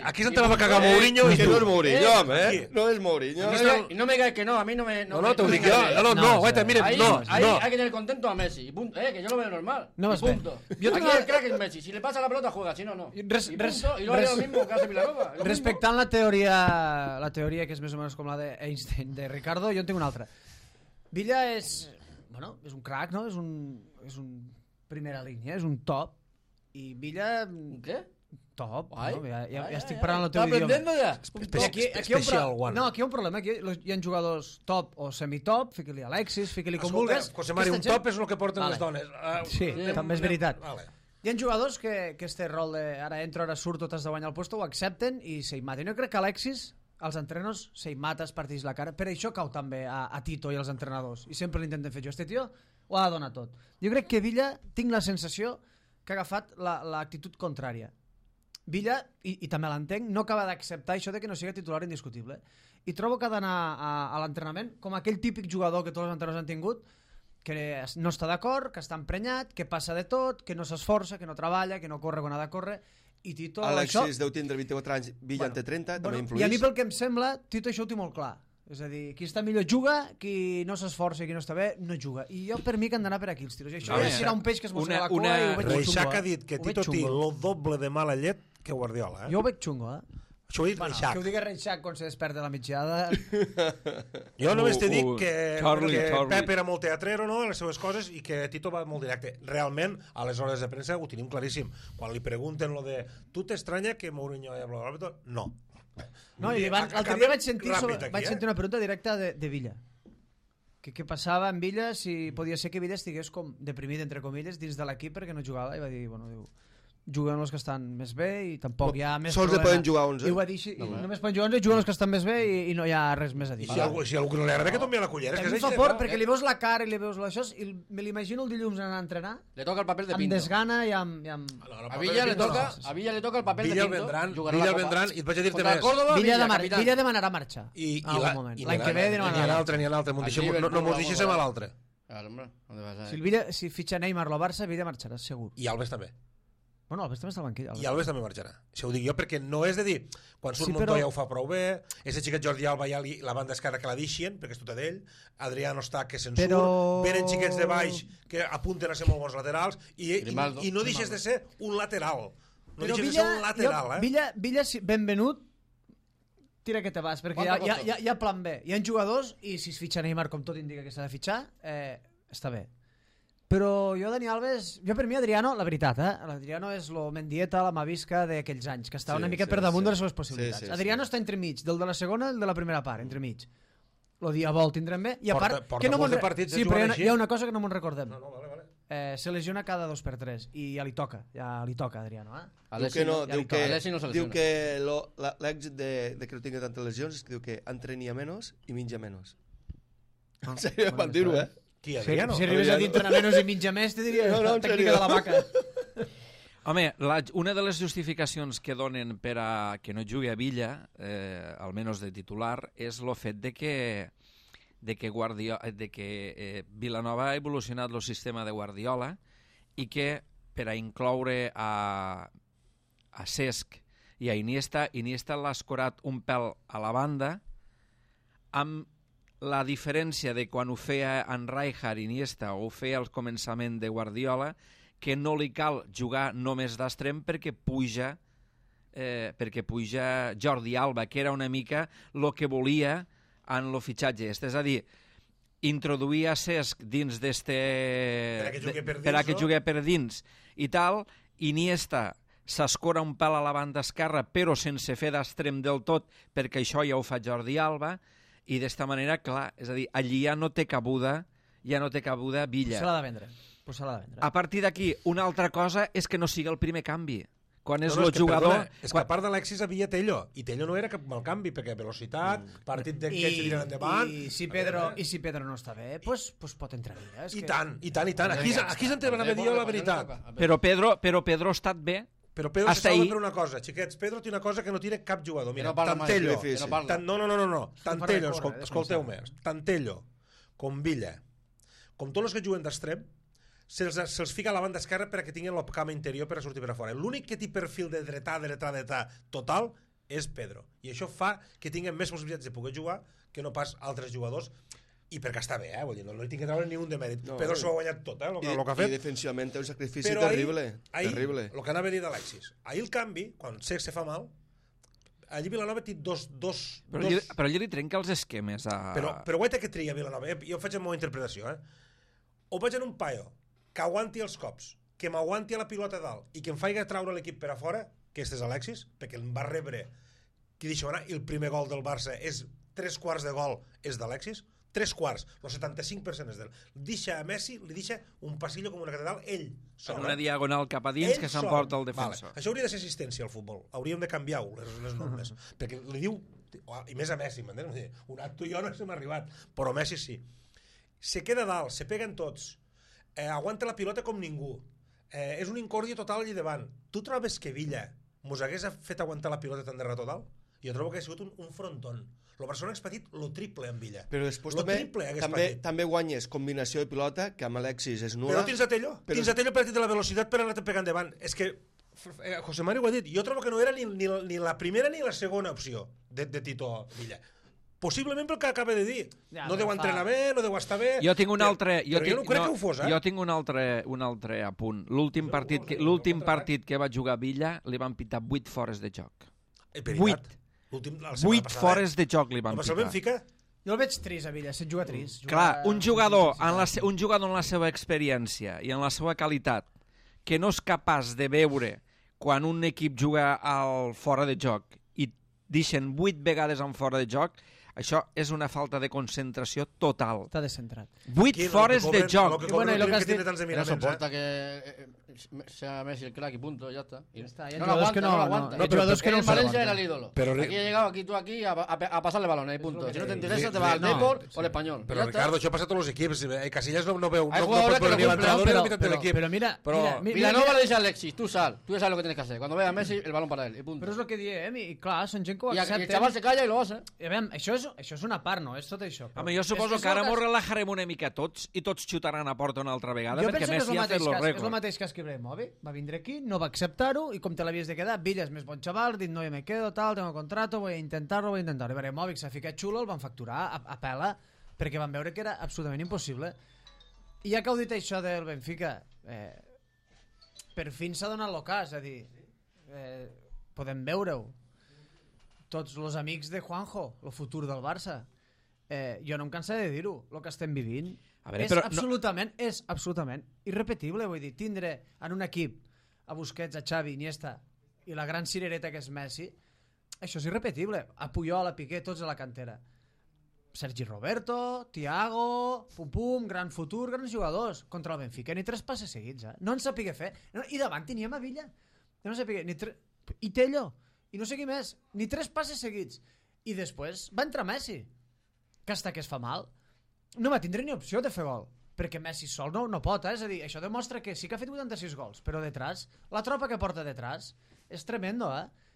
Aquí se te va a cagar Mourinho y Que tú. no és Mourinho, home. No és Mourinho. Y no me digas que no, a mí no me... No, te lo digo yo. No, guaita, mire, Ahí no. hay que tener contento a Messi. Y punto. Que yo lo veo normal. No y vas bé. punto. Jo Aquí tinc el crack es Messi. Si le pasa la pelota, juega. Si no, no. Y punto. Y lo haría lo mismo que hace Vilanova. Respectant la teoria que és més o menys com la d'Einstein, de Ricardo, jo en tinc una altra. Villa és... Bueno, és un crack, no? És un primera línia, és un top. I Villa... ¿Qué? Top, Ai, no? Ja ai, estic ai, parlant el teu ¿Está idioma. aprendiendo ya? Special one. No, aquí hi ha un problema. Aquí hi ha jugadors top o semitop, fiqui-li Alexis, fiqui-li com vulguis. José Mari, un top és el que porten les dones. Sí, també és veritat. Vale. Hi ha jugadors que este rol de ara entro, ara surto, t'has de guanyar el puesto, ho accepten i se hi maten. Jo crec que Alexis, als entrenos, se hi mata, es parteix la cara. Per això cau també a Tito i als entrenadors. I sempre l'intenten fer jo. Este tio ho ha de donar tot. Jo crec que Villa, tinc la sensació que ha agafat l'actitud contrària. Villa, i també l'entenc, no acaba d'acceptar això de que no sigui titular indiscutible. I trobo que ha d'anar a l'entrenament com aquell típic jugador que tots els entrenadors han tingut, que no està d'acord, que està emprenyat, que passa de tot, que no s'esforça, que no treballa, que no corre quan ha de córrer, i Tito... Alexis deu tindre 24 anys, Villa en té 30, també influeix. I a mi pel que em sembla, Tito això ho té molt clar. És a dir, qui està millor juga, qui no s'esforça i qui no està bé, no juga. I jo per mi que han d'anar per aquí els tiros. I això ja serà un peix que es mossega la cua i ho veig xungo. Reixac ha dit que Tito té el doble de mala llet que Guardiola. Jo ho veig xungo, Això ho ha dit Reixac. Que ho digui Reixac quan se desperta a la migdiada. Jo només t'he dit que Charlie. Pep era molt teatrero, no?, en les seves coses, i que Tito va molt directe. Realment, a les hores de premsa ho tenim claríssim. Quan li pregunten lo de tu t'estranya que Mourinho haya hablado árbitro? No. No, i l'altre dia vaig sentir una pregunta directa de Villa. Què passava en Villa, si podia ser que Villa estigués com deprimit, entre comilles, dins de l'equip perquè no jugava, i va dir, bueno, juguen els que estan més bé i tampoc hi ha més sols problema. poden jugar 11. I ho va dir així, només poden jugar 11, juguen els que estan més bé i no hi ha res més a dir. I si a algú que no li agrada que tombi a la cullera, és que és fa por, perquè li veus la cara i li veus això, i me l'imagino el dilluns anar a entrenar le toca el papel de Pinto. amb desgana i amb... A Villa le toca el papel de Pinto. Villa vendran, i et vaig a dir-te més. Villa demanarà marxa en algun moment. L'any que ve demanarà. N'hi ha l'altre. No mos deixéssim a l'altre. Si fitxa Neymar o Barça, Villa marxarà, segur. I Alves també. Bueno, Alves també està al banquillo. I Alves també marxarà. Això ho dic jo perquè no és de dir quan surt Montoya ho fa prou bé, ese xiquet Jordi Alba ja la banda esquerra que la deixen perquè és tota d'ell, Adriano està que se'n surt, venen xiquets de baix que apunten a ser molt bons laterals i no deixes de ser un lateral. No deixes de ser un lateral. Villa, benvenut, tira que te vas, perquè hi ha plan B. Hi ha jugadors i si es fitxa Neymar com tot indica que s'ha de fitxar, està bé. Però jo, Dani Alves, per mi Adriano, la veritat, l'Adriano és lo Mendieta, la Mavisca d'aquells anys, que està una mica per damunt de les seves possibilitats. Adriano està entremig, del de la segona i el de la primera part, entremig. Lo dia vol tindrem bé, i a part... Porta molts de partits sí, però hi ha una cosa que no me'n recordem. No, vale. Se lesiona cada 2 per 3, i ja li toca Adriano. Diu que l'èxit de que no tingui tantes lesions és que diu que entrenia menys i menja menys. En sèrio, van dir-ho, Si arribes a dir entrenar menys i mitja més, te diria tècnica de la vaca. Home, una de les justificacions que donen per a que no jugui a Villa, almenys de titular, és el fet de que Vilanova ha evolucionat el sistema de Guardiola i que per a incloure a Cesc i a Iniesta l'ha escorat un pèl a la banda amb la diferència de quan ho feia en Rijkaard, Iniesta, o ho feia al començament de Guardiola, que no li cal jugar només d'extrem perquè puja Jordi Alba, que era una mica el que volia en el fitxatge. És a dir, introduir a Cesc dins d'este... per a que jugui per dins i tal, Iniesta s'escora un pèl a la banda esquerra però sense fer d'extrem del tot perquè això ja ho fa Jordi Alba. I d'esta manera, clar, és a dir, allí ja no té cabuda Villa. Se l'ha de vendre. A partir d'aquí, una altra cosa és que no sigui el primer canvi. Quan és el jugador... És que a part d'Alexis havia Tello, i Tello no era cap mal canvi, perquè velocitat, partit de que se tiren endavant... I si Pedro no està bé, doncs pot entrar Villa. I tant. Aquí se'n té d'anar a dir la veritat. Però Pedro ha estat bé. Però Pedro se salva per una cosa, xiquets. Pedro té una cosa que no tira cap jugador. Mira, tant Tello... No. Tant Tello, escolteu-me, tant Tello com Villa com tots els que juguen d'extrem, se'ls fica a la banda esquerra perquè tinguin la cama interior per a sortir per a fora. L'únic que té perfil de dretà total és Pedro. I això fa que tinguin més possibilitats de poder jugar que no pas altres jugadors. I perquè està bé, vull dir, no li tinc que treure ni un de mèrit. No, Pedro s'ho ha guanyat tot, el que ha fet. I defensivament té un sacrifici terrible. Ahir, el que anava a dir d'Alexis, ahir el canvi, quan sé que se fa mal, allí Vilanova té dos... Però allí li trenca els esquemes a... Però guaita que tria Vilanova, jo faig la meva interpretació, o vaig en un paio que aguanti els cops, que m'aguanti a la pilota dalt i que em faci treure l'equip per a fora, que este és Alexis, perquè em va rebre, que deixa, el primer gol del Barça és 3/4 de gol és d'Alexis, 3/4, el 75% és d'ell. Deixa a Messi, li deixa un passillo com una catedral, ell sola. Una diagonal cap a dins que s'emporta el defensor. Això hauria de ser assistència al futbol, hauríem de canviar-ho, les normes, perquè li diu, i més a Messi, m'entens? Un acto jo no s'hem arribat, però Messi sí. Se queda dalt, se peguen tots, aguanta la pilota com ningú, és un incòrdia total allà davant. Tu trobes que Villa mos hagués fet aguantar la pilota tan de rato dalt? Jo trobo que ha sigut un frontón. El Barcelona hagués patit lo triple en Villa. Però després també guanyes combinació de pilota, que amb Alexis és nul·la. Però tens a Tello. Tens a Tello per la velocitat per anar-te pegant davant. És que José Mario ho ha dit. Jo trobo que no era ni la primera ni la segona opció de Tito Villa. Possiblement pel que acaba de dir. No deu entrenar bé, no deu estar bé. Jo tinc un altre... Però jo no crec que ho fos, Jo tinc un altre apunt. L'últim partit que va jugar Villa li van pitar 8 fores de joc. 8 fores de joc li van pitar. Jo el veig trist a Villa, se't juga trist. Clar, un jugador en la seva experiència i en la seva qualitat que no és capaç de veure quan un equip juga al fora de joc i deixen 8 vegades en fora de joc, això és una falta de concentració total. Està descentrat. 8 fores de joc. No soporta que sea Messi el crack y punto, ya está. No lo aguanta. Hay jugadores que no el Valencia era el ídolo. Aquí ha llegado aquí a pasarle balones y punto. Si no te interesa te vas al Depor o al Español. Pero Ricardo, això passa a tots els equips. Casillas no veu ni l'entrenador ni la mitad del equip. Pero mira, Vilanova le dice a Alexis, tú sal, tú ya sabes lo que tienes que hacer. Cuando veas a Messi, el balón para él y punto. Però és el que diem, i clar, són gent que ho accepten. I el xaval se calla i lo hace. Això és una part, no? És tot això. Home, jo suposo que ara mos relajarem una mica tots i tots xutaran a porta una altra vegada perquè Messi ha fet el rècord. És el mateix cas que Ibrahimovic. Va vindre aquí, no va acceptar-ho i com te l'havies de quedar, Villa és més bon xaval, dit no, jo me quedo, tal, tengo contrato, voy a intentar-ho. Ibrahimovic s'ha ficat xulo, el van facturar a pela perquè van veure que era absolutament impossible. I ja que heu dit això del Benfica, per fi s'ha donat l'ocàs, és a dir, podem veure-ho. Tots els amics de Juanjo, el futur del Barça. Jo no em cansaré de dir-ho, el que estem vivint és absolutament irrepetible, vull dir, tindre en un equip a Busquets, a Xavi, Iniesta i la gran cirereta que és Messi, això és irrepetible. A Puyol, a Piqué, tots a la cantera. Sergi Roberto, Thiago, pum, gran futur, grans jugadors. Contra el Benfica ni 3 passes seguits, no en sapigué fer. I davant teníem a Villa. No sapigué, i Tello, i no sé qui més, ni 3 passes seguits. I després va entrar Messi, que hasta que es fa mal no va tindre ni opció de fer gol, perquè Messi sol no pot, és a dir, això demostra que sí que ha fet 86 gols, però detrás, la tropa que porta detrás és tremendo,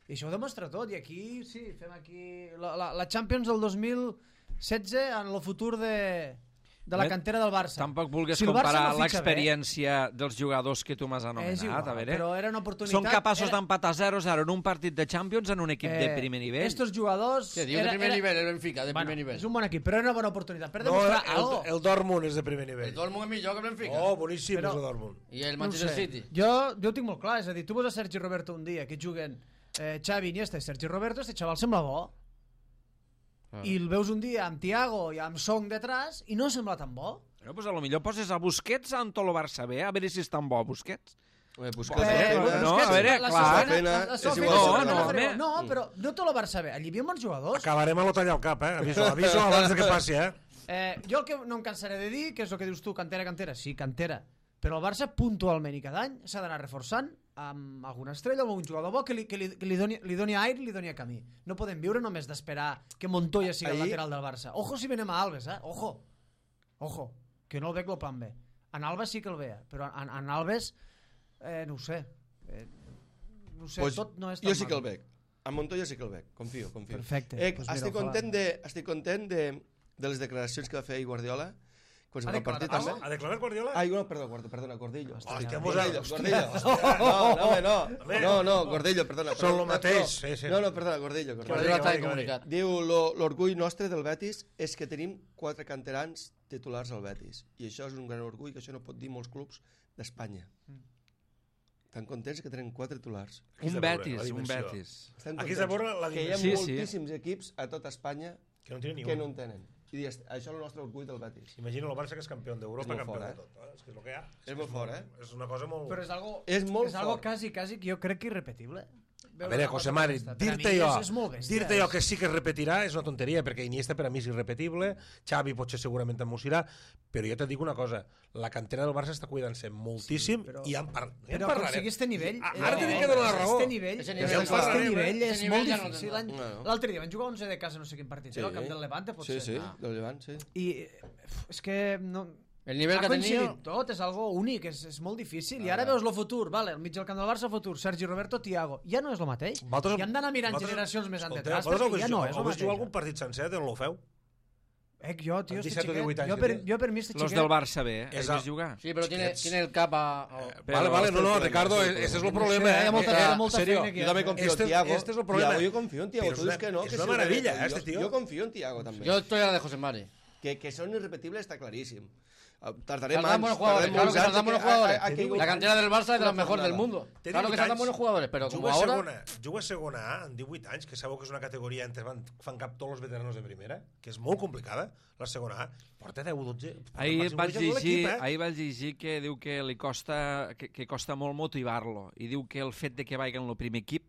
i això ho demostra tot, i aquí, sí, fem aquí la Champions del 2016 en el futur de la cantera del Barça. Tampoc vulguis comparar l'experiència dels jugadors que tu m'has anomenat, a veure. Però era una oportunitat. Són capaços d'empatar 0-0 en un partit de Champions en un equip de primer nivell. Estos jugadors... Sí, de primer nivell, el Benfica, de primer nivell. És un bon equip, però era una bona oportunitat per demostrar algo. El Dortmund és de primer nivell. El Dortmund és millor que el Benfica. Oh, boníssim és el Dortmund. I el Manchester City. Jo ho tinc molt clar, és a dir, tu veus a Sergi Roberto un dia que juguen Xavi, Iniesta i Sergi Roberto, este xaval sembla bo. I el veus un dia amb Thiago i amb Song detrás i no sembla tan bo. Bueno, pues a lo millor poses a Busquets en tot el Barça B, a veure si és tan bo Busquets. Busquets, no, a veure, clar. No, però no tot el Barça B, allí hi havia bons jugadors. Acabarem a l'Otall al cap, aviso abans que passi, Jo el que no em cansaré de dir, que és el que dius tu, cantera, sí, cantera, però el Barça puntualment i cada any s'ha d'anar reforçant amb alguna estrella o un jugador bo que li doni aire i li doni camí. No podem viure només d'esperar que Montoya sigui el lateral del Barça. Ojo si venem a Alves, ojo, que no el veig el plan B. En Alves sí que el veia, però en Alves no ho sé. Pues tot no és tan jo sí que el veig. A Montoya sí que el veig, confio. Perfecte. Estic content de les declaracions que va fer Guardiola, Qualsevol partit també. Ha declarat Guardiola? Ai, no, perdona, Gordillo. Gordillo. No, Gordillo, perdona. Són el mateix. No, perdona, Gordillo. Diu, l'orgull nostre del Betis és que tenim 4 canterans titulars al Betis. I això és un gran orgull, que això no pot dir molts clubs d'Espanya. Estan contents que tenen 4 titulars. Un Betis. Aquí s'ha veure la dimensió. Que hi ha moltíssims equips a tot Espanya que no en tenen. I això és el nostre orgull del Betis. Imagina el Barça que és campió d'Europa, campió de tot. És que és el que hi ha. És molt fort, És una cosa molt... Però és molt algo quasi que jo crec que irrepetible. A veure, José Mari, dir-te jo que sí que es repetirà és una tonteria, perquè Iniesta per a mi és irrepetible, Xavi potser segurament també ho serà, però jo te dic una cosa, la cantera del Barça està cuidant-se moltíssim i en parlarem. Però aconseguir este nivell... Ara t'he dit que dona la raó. Este nivell és molt difícil. L'altre dia van jugar 11 de casa no sé quin partit, al camp del Levante potser. Sí, del Levant, sí. I és que no... El nivell que tenia... tot, és algo únic, és molt difícil. I ara veus el futur, vale, al mig del camp del Barça, futur, Sergi Roberto, Thiago. Ja no és el mateix. I hem d'anar mirant generacions més enrere, perquè ja no és el mateix. Vos jugar algun partit sencer de l'Ofeu? Jo, tio, este xiquet. Jo per mi este xiquet... Los del Barça B, has vist jugar? Sí, però tiene el cap a... Vale, no, Ricardo, ese es el problema. Hi ha molta feina aquí. Jo també confio en Thiago. Este és el problema. Jo confio en Thiago, tu dius que no. És una meravella, este tio. Jo confio en Thiago, també. Jo estoy a la de José Mari. Que són irrepetibles està claríssim. Tardarem buenos jugadores, claro que saltan buenos jugadores. La cantera del Barça es de las mejores del mundo. Claro que saltan buenos jugadores, però com ahora... Juga a segona A amb 18 anys, que sabeu que és una categoria entre fan cap tots els veteranos de primera, que és molt complicada, la segona A. Porta 10 o 12... Ahir vaig llegir que diu que li costa molt motivar-lo i diu que el fet de que vagi en el primer equip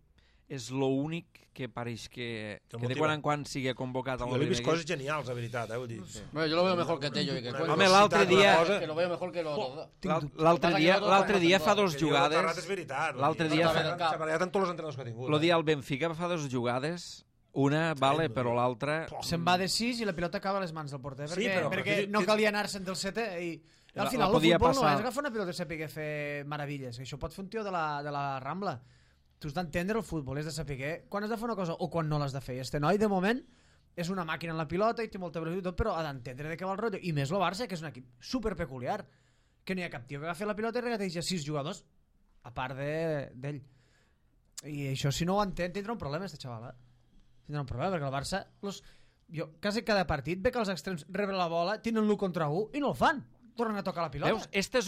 és l'únic que pareix que de quan en quan sigui convocat al primer equip. Jo l'he vist coses genials, la veritat, vull dir. Bueno, yo lo veo mejor que Tello y que Cuenca. Home, l'altre dia... Que lo veo mejor que los... L'altre dia fa 2 jugades... L'altre dia s'ha barallat amb tots els entrenadors que ha tingut. El dia al Benfica fa 2 jugades, una vale, però l'altra... Se'n va de 6 i la pilota acaba a les mans del porter, perquè no calia anar-se'n del setè i... Al final el futbol no és agafar una pilota i saber fer meravelles, això pot fer un tio de la Rambla. Tu has d'entendre el futbol, és de saber quan has de fer una cosa o quan no l'has de fer. Este noi, de moment, és una màquina en la pilota i té molta velocitat, però ha d'entendre de què va el rotllo. I més el Barça, que és un equip superpeculiar, que no hi ha cap tio que agafi la pilota i regateja 6 jugadors, a part d'ell. I això, si no ho entén, tindrà un problema, este xaval. Tindrà un problema, perquè el Barça... Jo, quasi cada partit ve que els extrems reben la bola, tenen l'1 contra 1 i no el fan. Tornen a tocar la pilota. Veus, esta és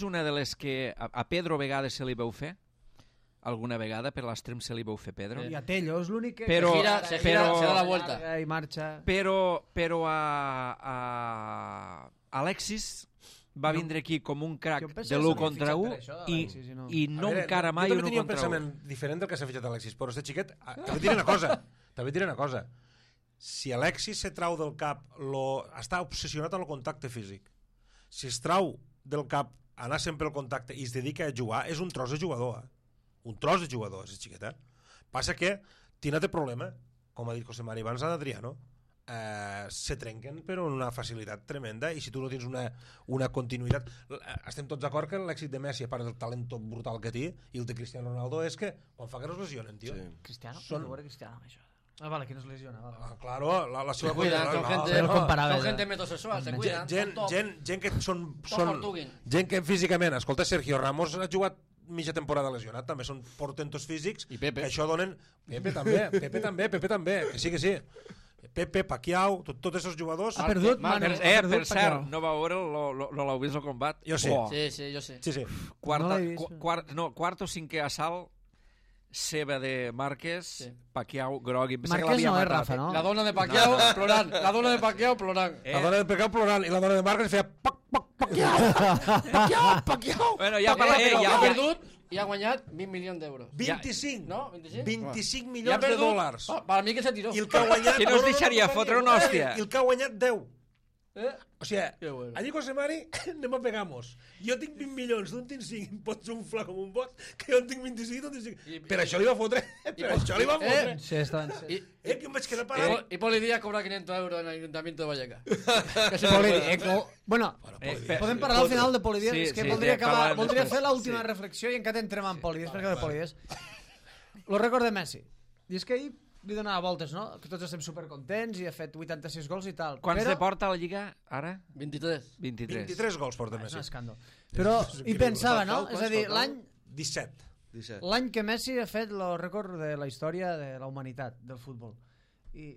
una de les que a Pedro Vegades se li veu fer. Alguna vegada per l'extrem se li veu fer Pedro. I a Tello és l'únic que... Se gira, se da la vuelta. I marxa. Però a Alexis va vindre aquí com un crack de l'1 contra 1 i no encara mai 1 contra 1. Jo també tenia un pensament diferent del que s'ha fitxat Alexis, però este xiquet... També diré una cosa. Si Alexis se trau del cap... Està obsessionat amb el contacte físic. Si es trau del cap anar sempre al contacte i es dedica a jugar, és un tros de jugador, un tros de jugador, és xiqueta. Passa que tiene té problema, com ha dit José Mari abans d'Adriano, se trenquen per una facilitat tremenda i si tu no tens una continuïtat... Estem tots d'acord que l'èxit de Messi, a part del talent brutal que té, i el de Cristiano Ronaldo, és que quan fa que no es lesionen, tio. Sí. Cristiano? Són... Cristiano, això. Vale, que no es lesiona. Vale. Claro, la seva... Se cuidan, son gente metrosexual, se cuidan. Gent que són... Gent que físicament... Escolta, Sergio Ramos ha jugat mitja temporada lesionat, també són portentos físics, i Pepe. Que això donen... Pepe també, que sí. Pepe, Pacquiao, tots aquests jugadors... Ha perdut, per cert, no va veure l'heu vist el combat? Jo sí. Sí, jo sí. Quart o cinquè assalt, seva de Márquez, Pacquiao, groc... Márquez no és Rafa, no? La dona de Pacquiao plorant. La dona de Pacquiao plorant. I la dona de Márquez feia... Pacquiao. Bueno, ja ha perdut i ha guanyat 20 milions d'euros. 25. No? 25 milions de dòlars. Per mi que se tiró. I el que ha guanyat... Que no es deixaria fotre una hòstia. I el que ha guanyat 10. O sigui, allí José Mari, anem a pegamos. Jo tinc 20 milions, tu en tens 5, em pots unflar com un bot, que jo en tinc 25, tu en tens 5. Per això li va fotre. Sí, està ben que em vaig quedar parat. I Poli Díaz cobra 500 euros en el Ayuntamiento de Vallecas. Bueno, podem parlar al final de Poli Díaz, és que voldria fer l'última reflexió i encara entrem en Poli Díaz, perquè de Poli Díaz. Lo record de Messi. I és que ahir li donava voltes, no? Que tots estem supercontents i ha fet 86 gols i tal. Quants de porta a la Lliga, ara? 23. 23 gols porta Messi. És un escàndol. Però hi pensava, no? És a dir, l'any... 17. L'any que Messi ha fet el rècord de la història de la humanitat, del futbol. I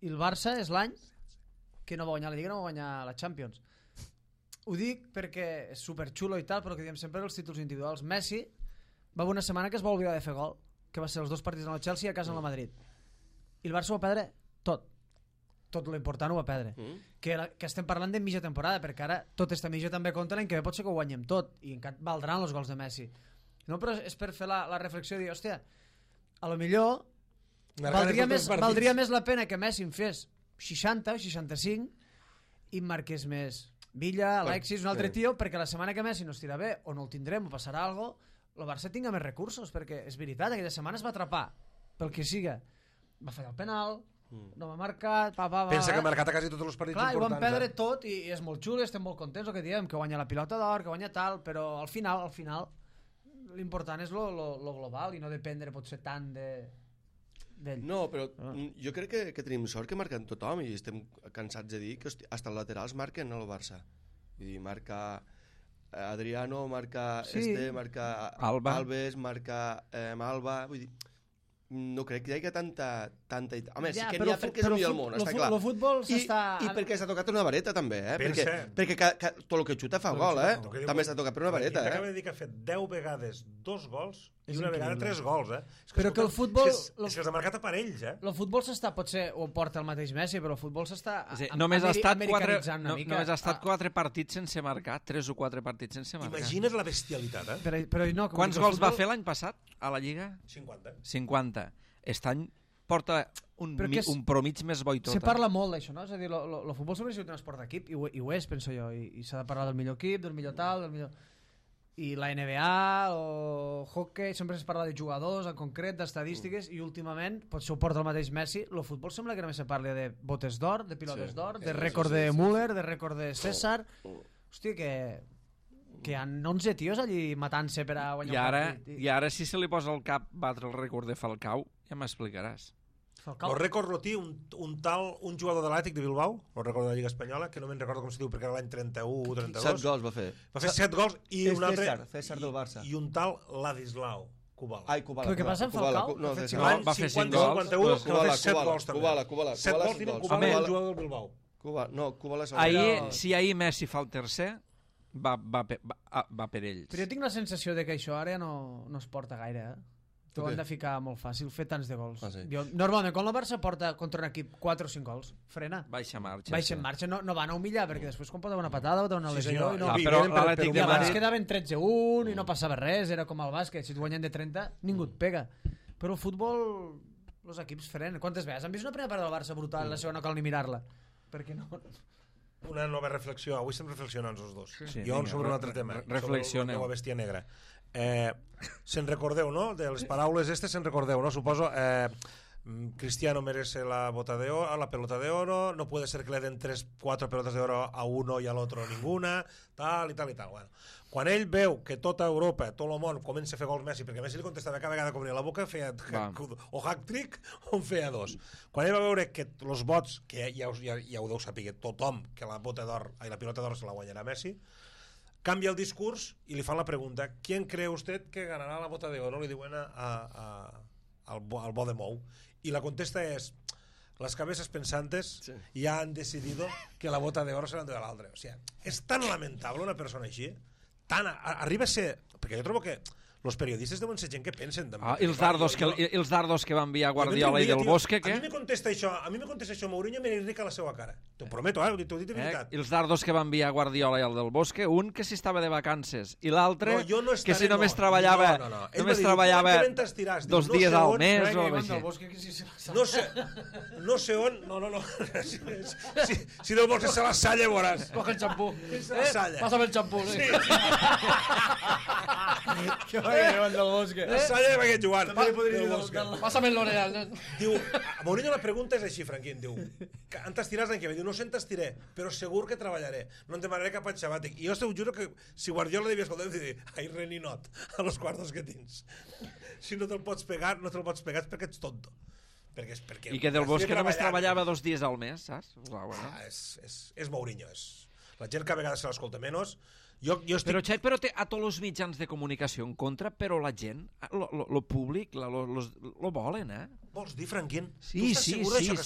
el Barça és l'any que no va guanyar la Lliga, no va guanyar la Champions. Ho dic perquè és superxulo i tal, però que diem sempre els títols individuals. Messi va haver una setmana que es va oblidar de fer gol, que va ser els 2 partits en el Chelsea i a casa en el Madrid. I el Barça ho va perdre tot. Tot l'important ho va perdre. Que estem parlant de mitja temporada, perquè ara tot esta mitja també compta l'any que ve pot ser que ho guanyem tot, i encara valdran els gols de Messi. No, però és per fer la reflexió de dir, hòstia, a lo millor valdria més la pena que Messi en fes 60 o 65 i marqués més Villa, Alexis, un altre tio, perquè la setmana que Messi no estirà bé o no el tindrem o passarà alguna cosa, el Barça tinga més recursos, perquè és veritat, aquella setmana es va atrapar pel que siga, va fallar el penal, no m'ha marcat, pensa que ha marcat a quasi tots els partits importants. Clar, i ho vam perdre tot i és molt xulo i estem molt contents, el que diem, que guanya la pilota d'or, que guanya tal, però al final l'important és lo global i no dependre potser tant d'ell. No, però jo crec que tenim sort que marquen tothom i estem cansats de dir que hasta els laterals marquen el Barça. Vull dir, marca Adriano, marca marca Alves, marca Alba, vull dir, no crec que hi hagi tanta... Home, sí que n'hi ha perquè és el millor del món, està clar. El futbol s'està... I perquè s'ha tocat una vareta, també, perquè tot el que xuta fa gol, també s'ha tocat per una vareta, Acaba de dir que ha fet 10 vegades 2 gols i una vegada 3 gols, Però que el futbol... És que els ha marcat a parells, El futbol s'està, potser ho porta el mateix Messi, però el futbol s'està americanitzant una mica. Només ha estat 4 partits sense marcar, 3 o 4 partits sense marcar. Imagina't la bestialitat, Però no, quants gols va fer l'any passat a la Lliga? 50. Aquest any porta un promig més bo i tot. Se parla molt d'això, no? És a dir, el futbol sempre ha sigut un esport d'equip, i ho és, penso jo, i s'ha de parlar del millor equip, del millor tal, del millor... I la NBA, o hockey, sempre es parla de jugadors en concret, d'estadístiques, i últimament, potser ho porta el mateix Messi, el futbol sembla que només se parla de botes d'or, de pilotes d'or, de rècord de Müller, de rècord de César... Hòstia, que hi ha 11 tios allí matant-se per a guanyar un partit. I ara si se li posa al cap batre el rècord de Falcao, ja m'explicaràs. El rècord lo té un jugador de l'Atlètic de Bilbao, el rècord de la Lliga Espanyola, que no me'n recordo com se diu perquè era l'any 31 o 32. 7 gols va fer. Va fer 7 gols i un altre... César del Barça. I un tal Ladislau Kubala. Ai, Kubala. Però què passa amb Falcao? Va fer 5 gols. Va fer 7 gols també. Kubala. 7 gols tenen Kubala i el jugador del Bilbao. Kubala és el... Si ahir Messi fa el tercer, va per ells. Però jo tinc la sensació de que això ara no es porta gaire, T'ho han de ficar molt fàcil, fer tants de gols. Normalment, quan la Barça porta contra un equip 4 o 5 gols, frena. Baixa marxa. Baixa en marxa, no van a humillar, perquè després quan pot haver una patada o una lesió... Però l'Atlètic de Madrid... quedaven 13-1 i no passava res, era com el bàsquet, si et guanyen de 30, ningú et pega. Però el futbol, els equips frenen. Quantes vegades? Han vist una primera part del Barça brutal, la segona no cal ni mirar-la. Perquè no... Una nova reflexió, avui estem reflexionant els dos. Jo sobre un altre tema, sobre la meva bèstia negra. Se'n recordeu, no? De les paraules se'n recordeu, no? Suposo Cristiano merece la pelota de oro, no puede ser que le den 4 pelotas de oro a uno y al otro ninguna, tal i tal i tal. Bueno, quan ell veu que tota Europa, tot el món comença a fer gols Messi, perquè Messi li contestava cada vegada que obria la boca, feia o hat-trick o en feia 2. Quan ell va veure que els vots, que ja ho deu saber tothom, que la pilota d'or se la guanyarà Messi, cambia el discurs i li fan la pregunta: ¿quién cree usted que ganará la bota de oro? Li diuen al bo de Mou. Y la contesta es: las cabezas pensantes ya han decidido que la bota de oro se l'endurà l'altre. O sigui, és tan lamentable una persona així, arriba a ser... Perquè jo trobo que los periodistas deuen ser gent que pensen també. I els dardos que va enviar Guardiola i Del Bosque, què? A mi me contesta això Mourinho, me n'irrica la seva cara. T'ho prometo, t'ho he dit de veritat. I els dardos que va enviar Guardiola i el Del Bosque, un que si estava de vacances i l'altre que si només treballava 2 dies al mes o així. No sé on... No. Si Del Bosque se la salla, veuràs. Coge el xampú. Pásame el xampú. Joan del Bosque. Salla de Benet Joan. Pásame el L'Oreal. Diu, a Mourinho la pregunta és així, Franquín, diu, en t'estiràs l'any que ve? Diu, no sé en t'estiré, però segur que treballaré, no em demanaré cap any sabàtic. I jo t'ho juro que si Guardiola devia escoltar, em dir, ai, reninot, a los quartos que tens. Si no te'l pots pegar, no te'l pots pegar perquè ets tonto. Perquè I que del Bosque només treballava 2 dies al mes, saps? És Mourinho. La gent que a vegades se l'escolta menys. Però té a tots els mitjans de comunicació en contra, però la gent, el públic, lo volen, eh? Vols dir, Franquín? Sí, sí, lo volen.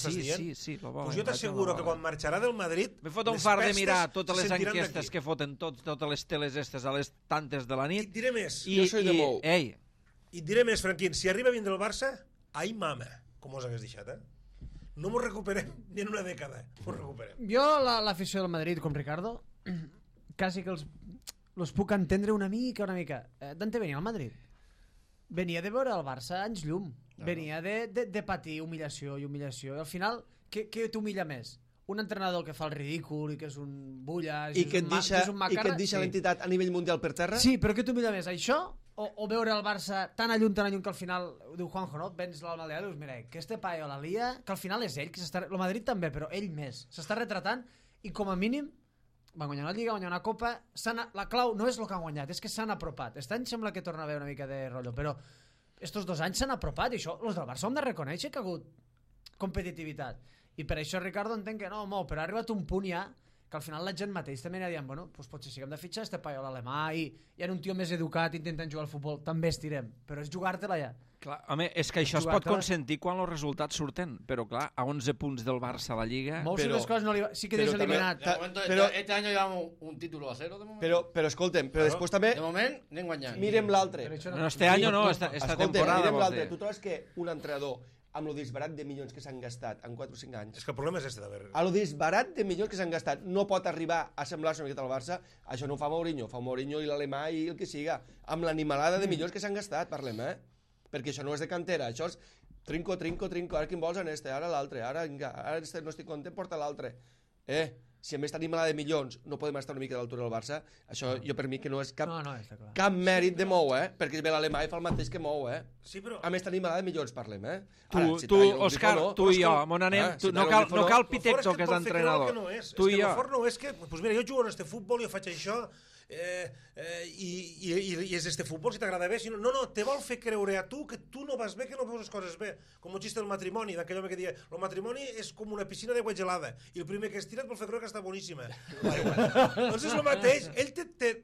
Pues jo t'asseguro que quan marxarà del Madrid... Me fot un far de mirar totes les enquestes que foten totes les teles estes a les tantes de la nit. I et diré més. Jo soy de Mou. I et diré més, Franquín, si arriba a vindre el Barça, ai mama, com us hagués deixat, No m'ho recuperem ni en una dècada, m'ho recuperem. Jo, l'afició del Madrid, com Ricardo, quasi que els puc entendre una mica. Dante venia al Madrid. Venia de veure el Barça anys llum. Venia de patir humiliació. I al final, què t'humilla més? Un entrenador que fa el ridícul i que és un bullas i que et deixa l'entitat a nivell mundial per terra? Sí, però què t'humilla més? Això o veure el Barça tan a llum que al final, diu Juanjo, no? Vens l'Almeria i dius, mira, que este paio la lia, que al final és ell, que s'està... El Madrid també, però ell més. S'està retratant i com a mínim van guanyar una Lliga, van guanyar una Copa. La clau no és el que han guanyat, és que s'han apropat. Aquest any sembla que torna a haver una mica de rotllo, però estos 2 anys s'han apropat i això, els del Barça ho hem de reconèixer que ha hagut competitivitat. I per això, Ricardo, entenc que no, però ha arribat un punt ja que al final la gent mateix també anirà dient, bueno, doncs potser sí que hem de fitxar este paio a l'alemà i hi ha un tio més educat intentant jugar al futbol, també estirem, però és jugar-te-la ja. Clar, home, és que això es pot consentir quan els resultats surten, però clar, a 11 punts del Barça a la Lliga... Molts de les coses no li va... Sí que deixa eliminat. Però este any llevamos un título a 0 de moment. Però escolta'm, però després també... De moment anem guanyant. Mirem l'altre. No, este any no, esta temporada. Mirem l'altre. Tu trobes que un entrenador amb lo disbarat de milions que s'han gastat en 4 o 5 anys... És que el problema és este d'haver... A lo disbarat de milions que s'han gastat no pot arribar a semblar-se una miqueta al Barça. Això no ho fa Mourinho i l'alemà i el que siga. Amb l'animalada de milions que s'han gastat, parlem, perquè això no és de cantera, això és trinco, ara quin vols en este, ara l'altre, ara este no estic content, porta l'altre. Si a més tenim la de milions no podem estar una mica a l'altura del Barça, això jo per mi que no és cap mèrit de Mou, perquè ve l'alemà i fa el mateix que Mou, Sí, però... A més tenim la de milions, parlem, Tu, Òscar, tu i jo, on anem, no cal Pitecto, que és l'entrenador. Tu i jo. No és que, doncs mira, jo jugo en este futbol, jo faig això, i és este futbol, si t'agrada bé, si no, te vol fer creure a tu que tu no vas bé, que no veus les coses bé, com el xiste del matrimoni, d'aquell home que deia, el matrimoni és com una piscina d'aigua gelada, i el primer que es tira et vol fer creure que està boníssima. Doncs és el mateix, ell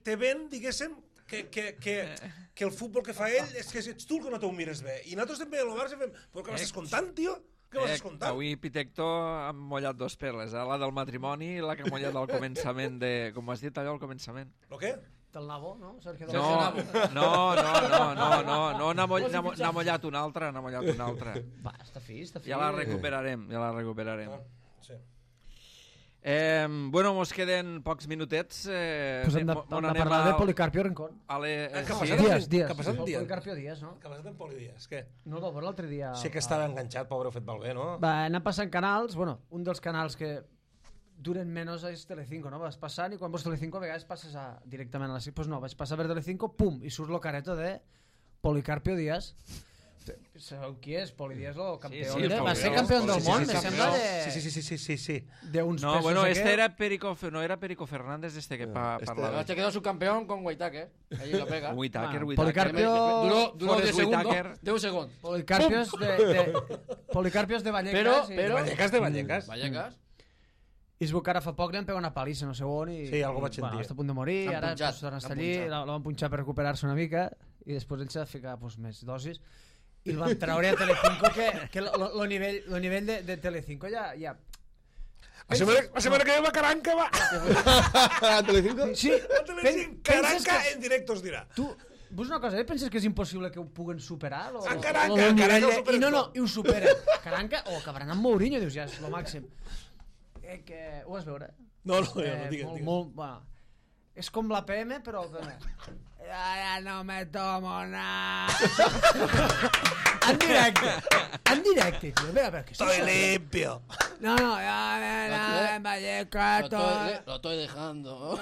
te ven, diguéssim, que el futbol que fa ell és que ets tu el que no t'ho mires bé, i nosaltres també a l'Obar fem, però què m'estàs contant, tio? Què vas escoltant? Avui Pitecto ha mollat 2 perles, la del matrimoni i la que ha mollat al començament de... Com has dit allò al començament? El què? Del Nabo, no? No, n'ha mollat una altra, Va, està fi. Ja la recuperarem. Sí. Bueno, mos queden pocs minutets. Pues hem de parlar de Policarpio Rincón. Dies. Policarpio Díaz, no? Que ha passat en Poli Díaz, què? No, el veure l'altre dia... Sé que estava enganxat, pobre, ho fet malbé, no? Va anar passant canals, bueno, un dels canals que duren menys és Telecinco, no? Vas passant i quan veus Telecinco a vegades passes directament a la... Pues no, vaig passar per Telecinco, pum, i surt lo careto de Policarpio Díaz. Sabeu qui és? Poli Díaz, el campió. Va ser campió del món, me sembla de... Sí. No, bueno, este era Perico... No era Perico Fernández este que parlava. Este quedó subcampeón con Whitaker. Ahí lo pega. Whitaker. Duró 10 segundos. 10 segundos. Policarpios de Vallecas. Vallecas. I es veu que ara fa poc li han pegat una palissa, no sé on, i... Sí, algo vaig sentir. Està a punt de morir, ara torna a estar allí, la van punxar per recuperar-se una mica, i després ell s'ha de ficar més dosis, i el van treure a Telecinco, que el nivell de Telecinco ja... La setmana que ve va Caranca, va! A Telecinco? Sí. Caranca en directe, us dirà. Tu, vos una cosa, penses que és impossible que ho puguen superar? Caranca i ho superen. Caranca, o acabaran amb Mourinho, dius, ja és el màxim. Ho vas veure? No, digue'm. Bueno, és com la PM, però... Ya no me tomo nada. En directe, tío. Vea, que Estoy limpio. No, ya me Vallecas, Lo estoy dejando.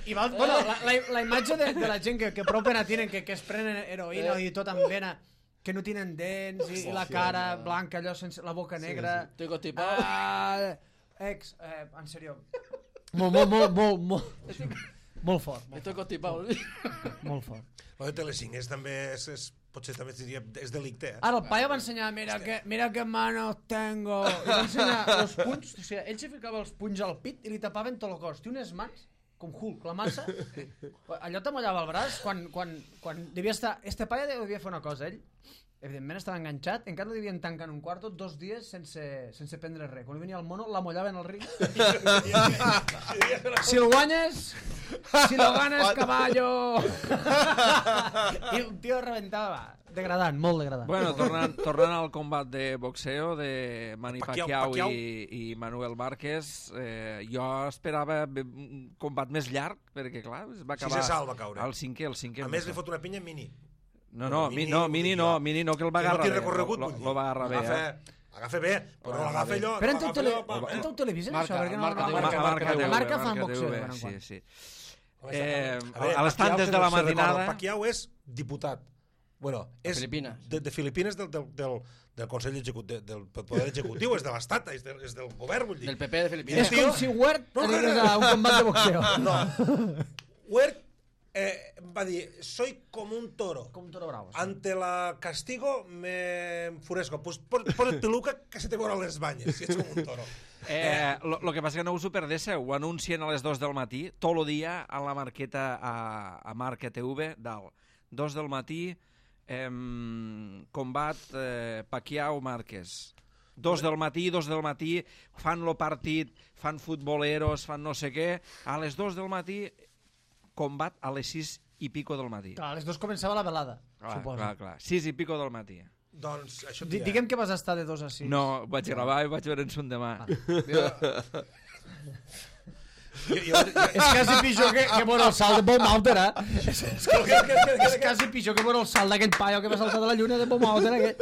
I bueno, la imatge de la gent que prou pena tenen, que es prenen heroïna i tot amb vena, que no tenen dents i la cara blanca, allò sense la boca negra. Estoy constipado. En serio. Molt fort. Estoy constipado. Molt fort. Lo de Telecinc també potser també és delicte, Ara el paio va ensenyar, mira que manos tengo. I va ensenyar els punys, o sigui, ell se ficava els punys al pit i li tapaven tot el cos. Té unes mans com Hulk, la massa. Allò t'amollava el braç quan devia estar... Este paio devia fer una cosa, ell evidentment estava enganxat, encara no devien tancar en un quarto 2 dies sense prendre res. Quan venia el mono, l'amollaven al ring. Si el guanyes, si lo ganes, caballo. I el tio reventava. Degradant, molt degradant. Bueno, tornant al combat de boxeo de Manny Pacquiao i Manuel Márquez, jo esperava un combat més llarg, perquè clar, es va acabar... Sisè salt va caure. El cinquè. A més, li fot una pinya Mini. Mini no, que el va agarrar bé. Lo va agarrar bé, Agafa bé, però no l'agafa allò. Però en teu televisió, això? Marca fan boxeo. Sí. A l'estant des de la matinada... Pacquiao és diputat. Bueno, és de Filipines del Consell Executiu, del Poder Executiu, és de l'Estat, és del govern, vull dir. Del PP de Filipines. És com si Huert anés a un combat de boxeo. No. Huert va dir, soy como un toro. Com un toro bravo. Ante la castigo me enfurezco. Pues posa't peluca que se te veuran les banyes, si ets com un toro. Lo que passa que no us ho perdéssiu, ho anuncien a les 2 del matí, tot el dia a la marqueta a Marca TV, dalt. 2 del matí, combat Pacquiao-Márquez. 2 del matí, fan lo partit, fan futboleros, fan no sé què. A les 2 del matí, combat a les 6 i pico del matí. Clar, a les 2 començava la velada, suposo. Clar. 6 i pico del matí. Doncs això diguem que vas estar de 2 a 6. No, vaig gravar i vaig veure en son demà. És quasi pitjor que veure el salt de Bob Mauter, És quasi pitjor que veure el salt d'aquell paio que va saltar de la lluna de Bob Mauter.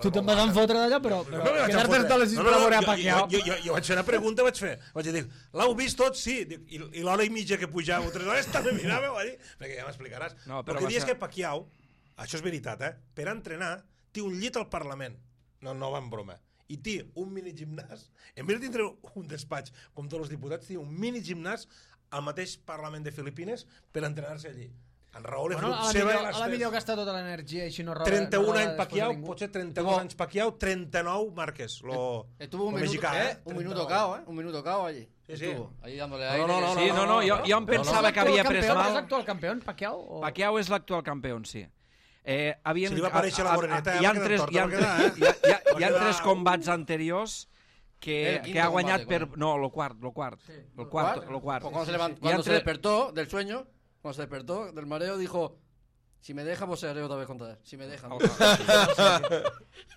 Tu te'n vas enfotre d'allò, però quedar-te hasta les 6 per a veure a Pacquiao. Jo vaig fer una pregunta, vaig dir, l'heu vist tot? Sí. I l'hora i mitja que pujava, 3 hores, també mirava, perquè ja m'explicaràs. El que dius que Pacquiao, això és veritat, per entrenar, té un llit al Parlament. No va en broma. I té un minigimnàs, en vez de tindre un despatx com tots els diputats, té un minigimnàs al mateix Parlament de Filipines per entrenar-se allí. En Raúl és grup seva... A la millor gasta tota l'energia i així no roba... 31 anys Pacquiao, potser 32 anys Pacquiao, 39 Márquez, Estuvo un minuto cao, un minuto cao allí. Sí. Ahí dándole aire. No, jo em pensava que havia pres mal... És l'actual campió, Pacquiao? Pacquiao és l'actual campió, sí. Si li va aparèixer la moreneta, hi ha 3 combats anteriors que ha guanyat per... No, lo quart. Cuando se despertó del sueño, cuando se despertó del mareo, dijo, si me deja, boxearé otra vez contra él. Si me deja.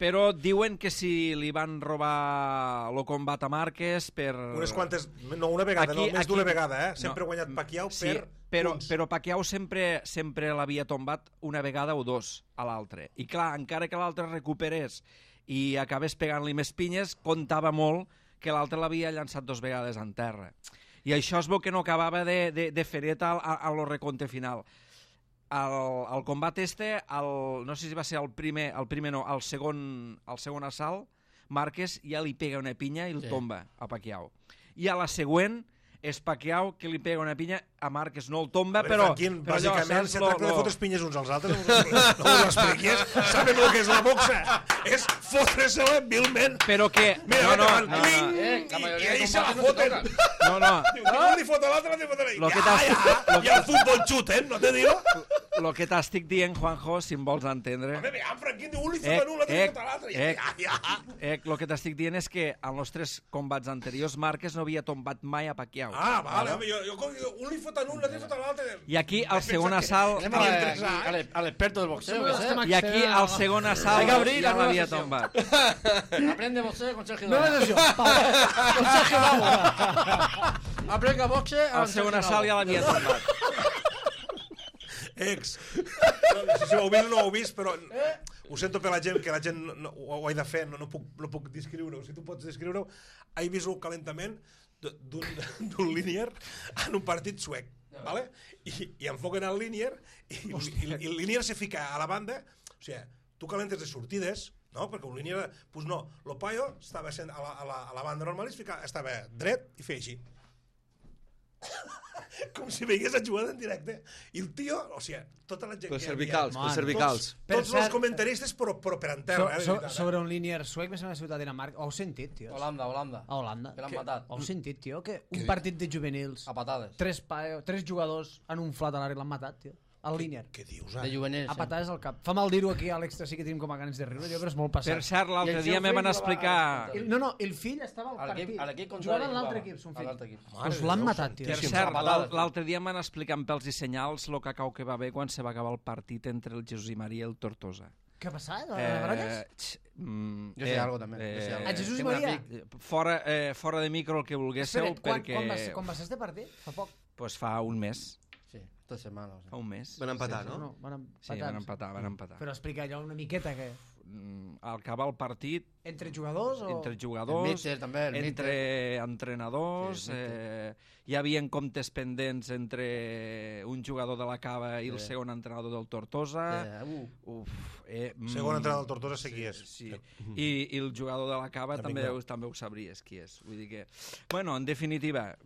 Però diuen que si li van robar el combat a Márquez per... Unes quantes... No, una vegada, més d'una vegada, Sempre ha guanyat Pacquiao per... Però Pacquiao sempre l'havia tombat una vegada o 2 a l'altre. I clar, encara que l'altre recuperés i acabés pegant-li més pinyes, comptava molt que l'altre l'havia llançat 2 vegades en terra. I això es veu que no acabava de feret a lo recompte final. El combat no sé si va ser el segon assalt, Márquez ja li pega una pinya i el tomba a Pacquiao. I a la següent és Pacquiao que li pega una pinya a Márquez, no el tomba, però... Bàsicament, se tracta de fotre pinyes uns als altres, no ho expliquis, sabem el que és la boxa, és fotre-se-la vilment. Però que... Mira, i ahí se la foten. No. Un li fot a l'altre, li fot a l'altre. I el futbol xuten, no te digo? Lo que t'estic dient, Juanjo, si em vols entendre... Home, en Franquín diu, un li fot a un, l'altre li fot a l'altre. Lo que t'estic dient és que en els 3 combats anteriors Márquez no havia tombat mai a Pacquiao. Vale, home, un li fot a un, l'altre li fot a l'altre. I aquí el segon assalt... A l'experto del boxeo. I aquí el segon assalt ja l'havia tombat. Aprende boxeo con Sergio Dávila. No és això. Con Sergio Dávila. Aplica boxe... al seu assalt ja l'havia tombat. No sé si ho heu vist o no ho heu vist, però ho sento per la gent, que la gent ho he de fer, no puc descriure-ho. Si tu pots descriure-ho, he vist un calentament d'un línier en un partit suec, ¿vale? I enfoquen el línier i el línier se fica a la banda, o sigui, tu calentes de sortides, no? Perquè un línier, pues no, el paio estava a la banda normal i estava dret i feia així. Com si veiés a jugar en directe. I el tio, o sigui, tota la gent pels que hi havia... cervicals. Tots els comentaristes, però per en terra. Sobre un línier suec, més o menys a ciutat de Dinamarca. Ho heu sentit, tios? Holanda. A Holanda. Que l'han matat. Ho heu sentit, tio? Que un partit de juvenils... A patades. Tres jugadors han unflat a l'àrea i l'han matat, tio. Al línier. Què dius, De juvenils. A patades al cap. Fa mal dir-ho aquí a l'extra, sí que tenim com a ganes de riure, jo, però és molt passat. Per cert, l'altre dia me van explicar... No, el fill estava al partit. Jugava en l'altre equip, son fill. Doncs l'han matat, tio. Per cert, l'altre dia em van explicar amb pèls i senyals el cacau que va haver quan se va acabar el partit entre el Jesús i Maria i el Tortosa. Què ha passat? A Baralles? Jo sé algo també. A Jesús i Maria? Fora de micro el que volguéssiu, perquè... Quan va ser este partit? Fa poc? Pues fa un mes. Sí, 3 setmanes. Fa un mes. Van empatar, no? Sí, van empatar. Però explica allò una miqueta, que... Al acabar el partit... Entre jugadors o...? Entre jugadors, míster, també, entre entrenadors, Sí, hi havia comptes pendents entre un jugador de la Cava i el segon entrenador del Tortosa. Segon entrenador del Tortosa sé qui és. Sí. I el jugador de la Cava també ho sabries qui és. Vull dir que... Bueno, en definitiva,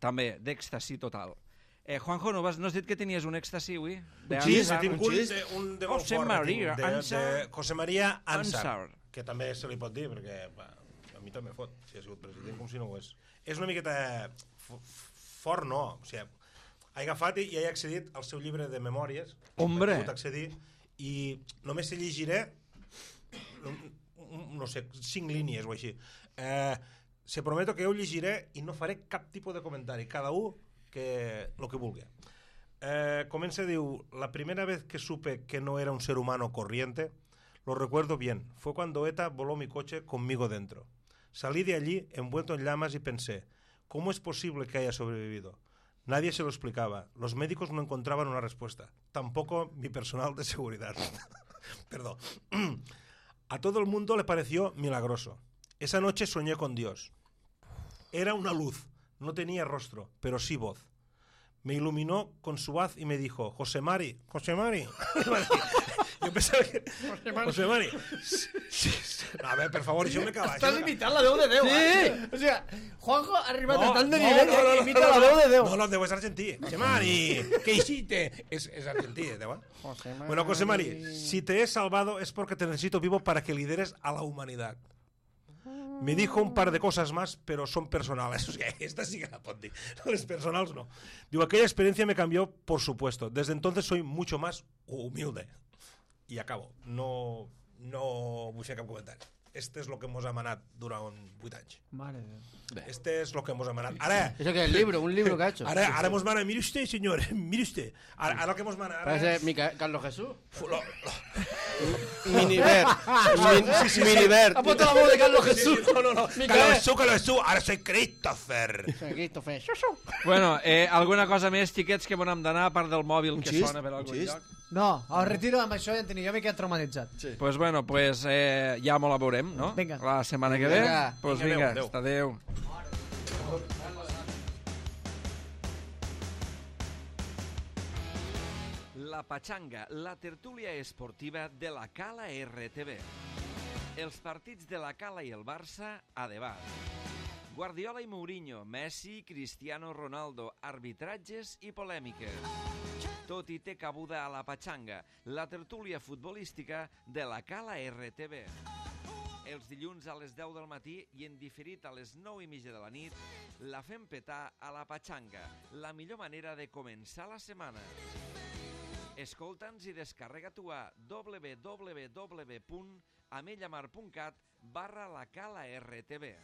també d'èxtasi total. Juanjo, no has dit que tenies un èxtasi avui? Sí, tinc un de molt José fort. María de José María Ansar, Ansar, que també se li pot dir, perquè a mi també fot, si ha sigut president, com si no ho és. És una miqueta fort, no? O sigui, he agafat i he accedit al seu llibre de memòries. Hombre! He pogut accedir i només se llegiré, no sé, 5 línies o així. Se prometo que ho llegiré i no faré cap tipus de comentari. Cada un lo que vulgui. Comença, diu: la primera vez que supe que no era un ser humano corriente, lo recuerdo bien, fue cuando ETA voló mi coche conmigo dentro. Salí de allí envuelto en llamas y pensé, ¿cómo es posible que haya sobrevivido? Nadie se lo explicaba, los médicos no encontraban una respuesta, tampoco mi personal de seguridad. Perdón. A todo el mundo le pareció milagroso. Esa noche soñé con Dios. Era una luz. No tenía rostro, pero sí voz. Me iluminó con su haz y me dijo, José Mari. Yo pensaba que... José Mari. Sí. A ver, per favor, això me cala. Estàs imitant la veu de Déu. Sí! O sigui, Juanjo ha arribat a tant de nivell que imita la veu de Déu. No, Déu és argentí. José Mari, ¿qué hiciste? Es argentí, Déu. Bueno, José Mari, si te he salvado es porque te necesito vivo para que lideres a la humanidad. Me dijo un par de cosas más, pero son personales. O sea, esta sí que la pot dir. Los personales no. Digo, aquella experiencia me cambió, por supuesto. Desde entonces soy mucho más humilde. Y acabo. No vull fer cap comentari. Este és lo que mos ha manat durant 8 anys. Mare de Déu. Este és lo que mos ha manat. Ara... Eso que es un libro que ha hecho. Ara mos mana, mire usted, señor, mire usted. Ara lo que mos mana... Parece Carlos Jesús. Minibert. Minibert. Ha puesto la voz de Carlos Jesús. No. Carlos Jesús. Ahora soy Christopher. Christopher. Bueno, alguna cosa més, xiquets, que on hem d'anar, a part del mòbil que sona per algun lloc? No, el retiro amb això ja en tenia. Jo m'he quedat traumatitzat. Sí. Pues bueno, ja m'ho la veurem, no? Vinga. La setmana que ve. Pues vinga, adéu. adéu. La Pachanga, la tertúlia esportiva de la Cala RTV. Els partits de la Cala i el Barça a debat. Guardiola i Mourinho, Messi, Cristiano Ronaldo, arbitratges i polèmiques. Tot hi té cabuda a la Pachanga, la tertúlia futbolística de la Cala RTV. Els dilluns a les 10 del matí i en diferit a les 9:30 de la nit, la fem petar a la Pachanga, la millor manera de començar la setmana. Escolta'ns i descarrega-t'ho a www.amellamar.cat/la Cala RTV.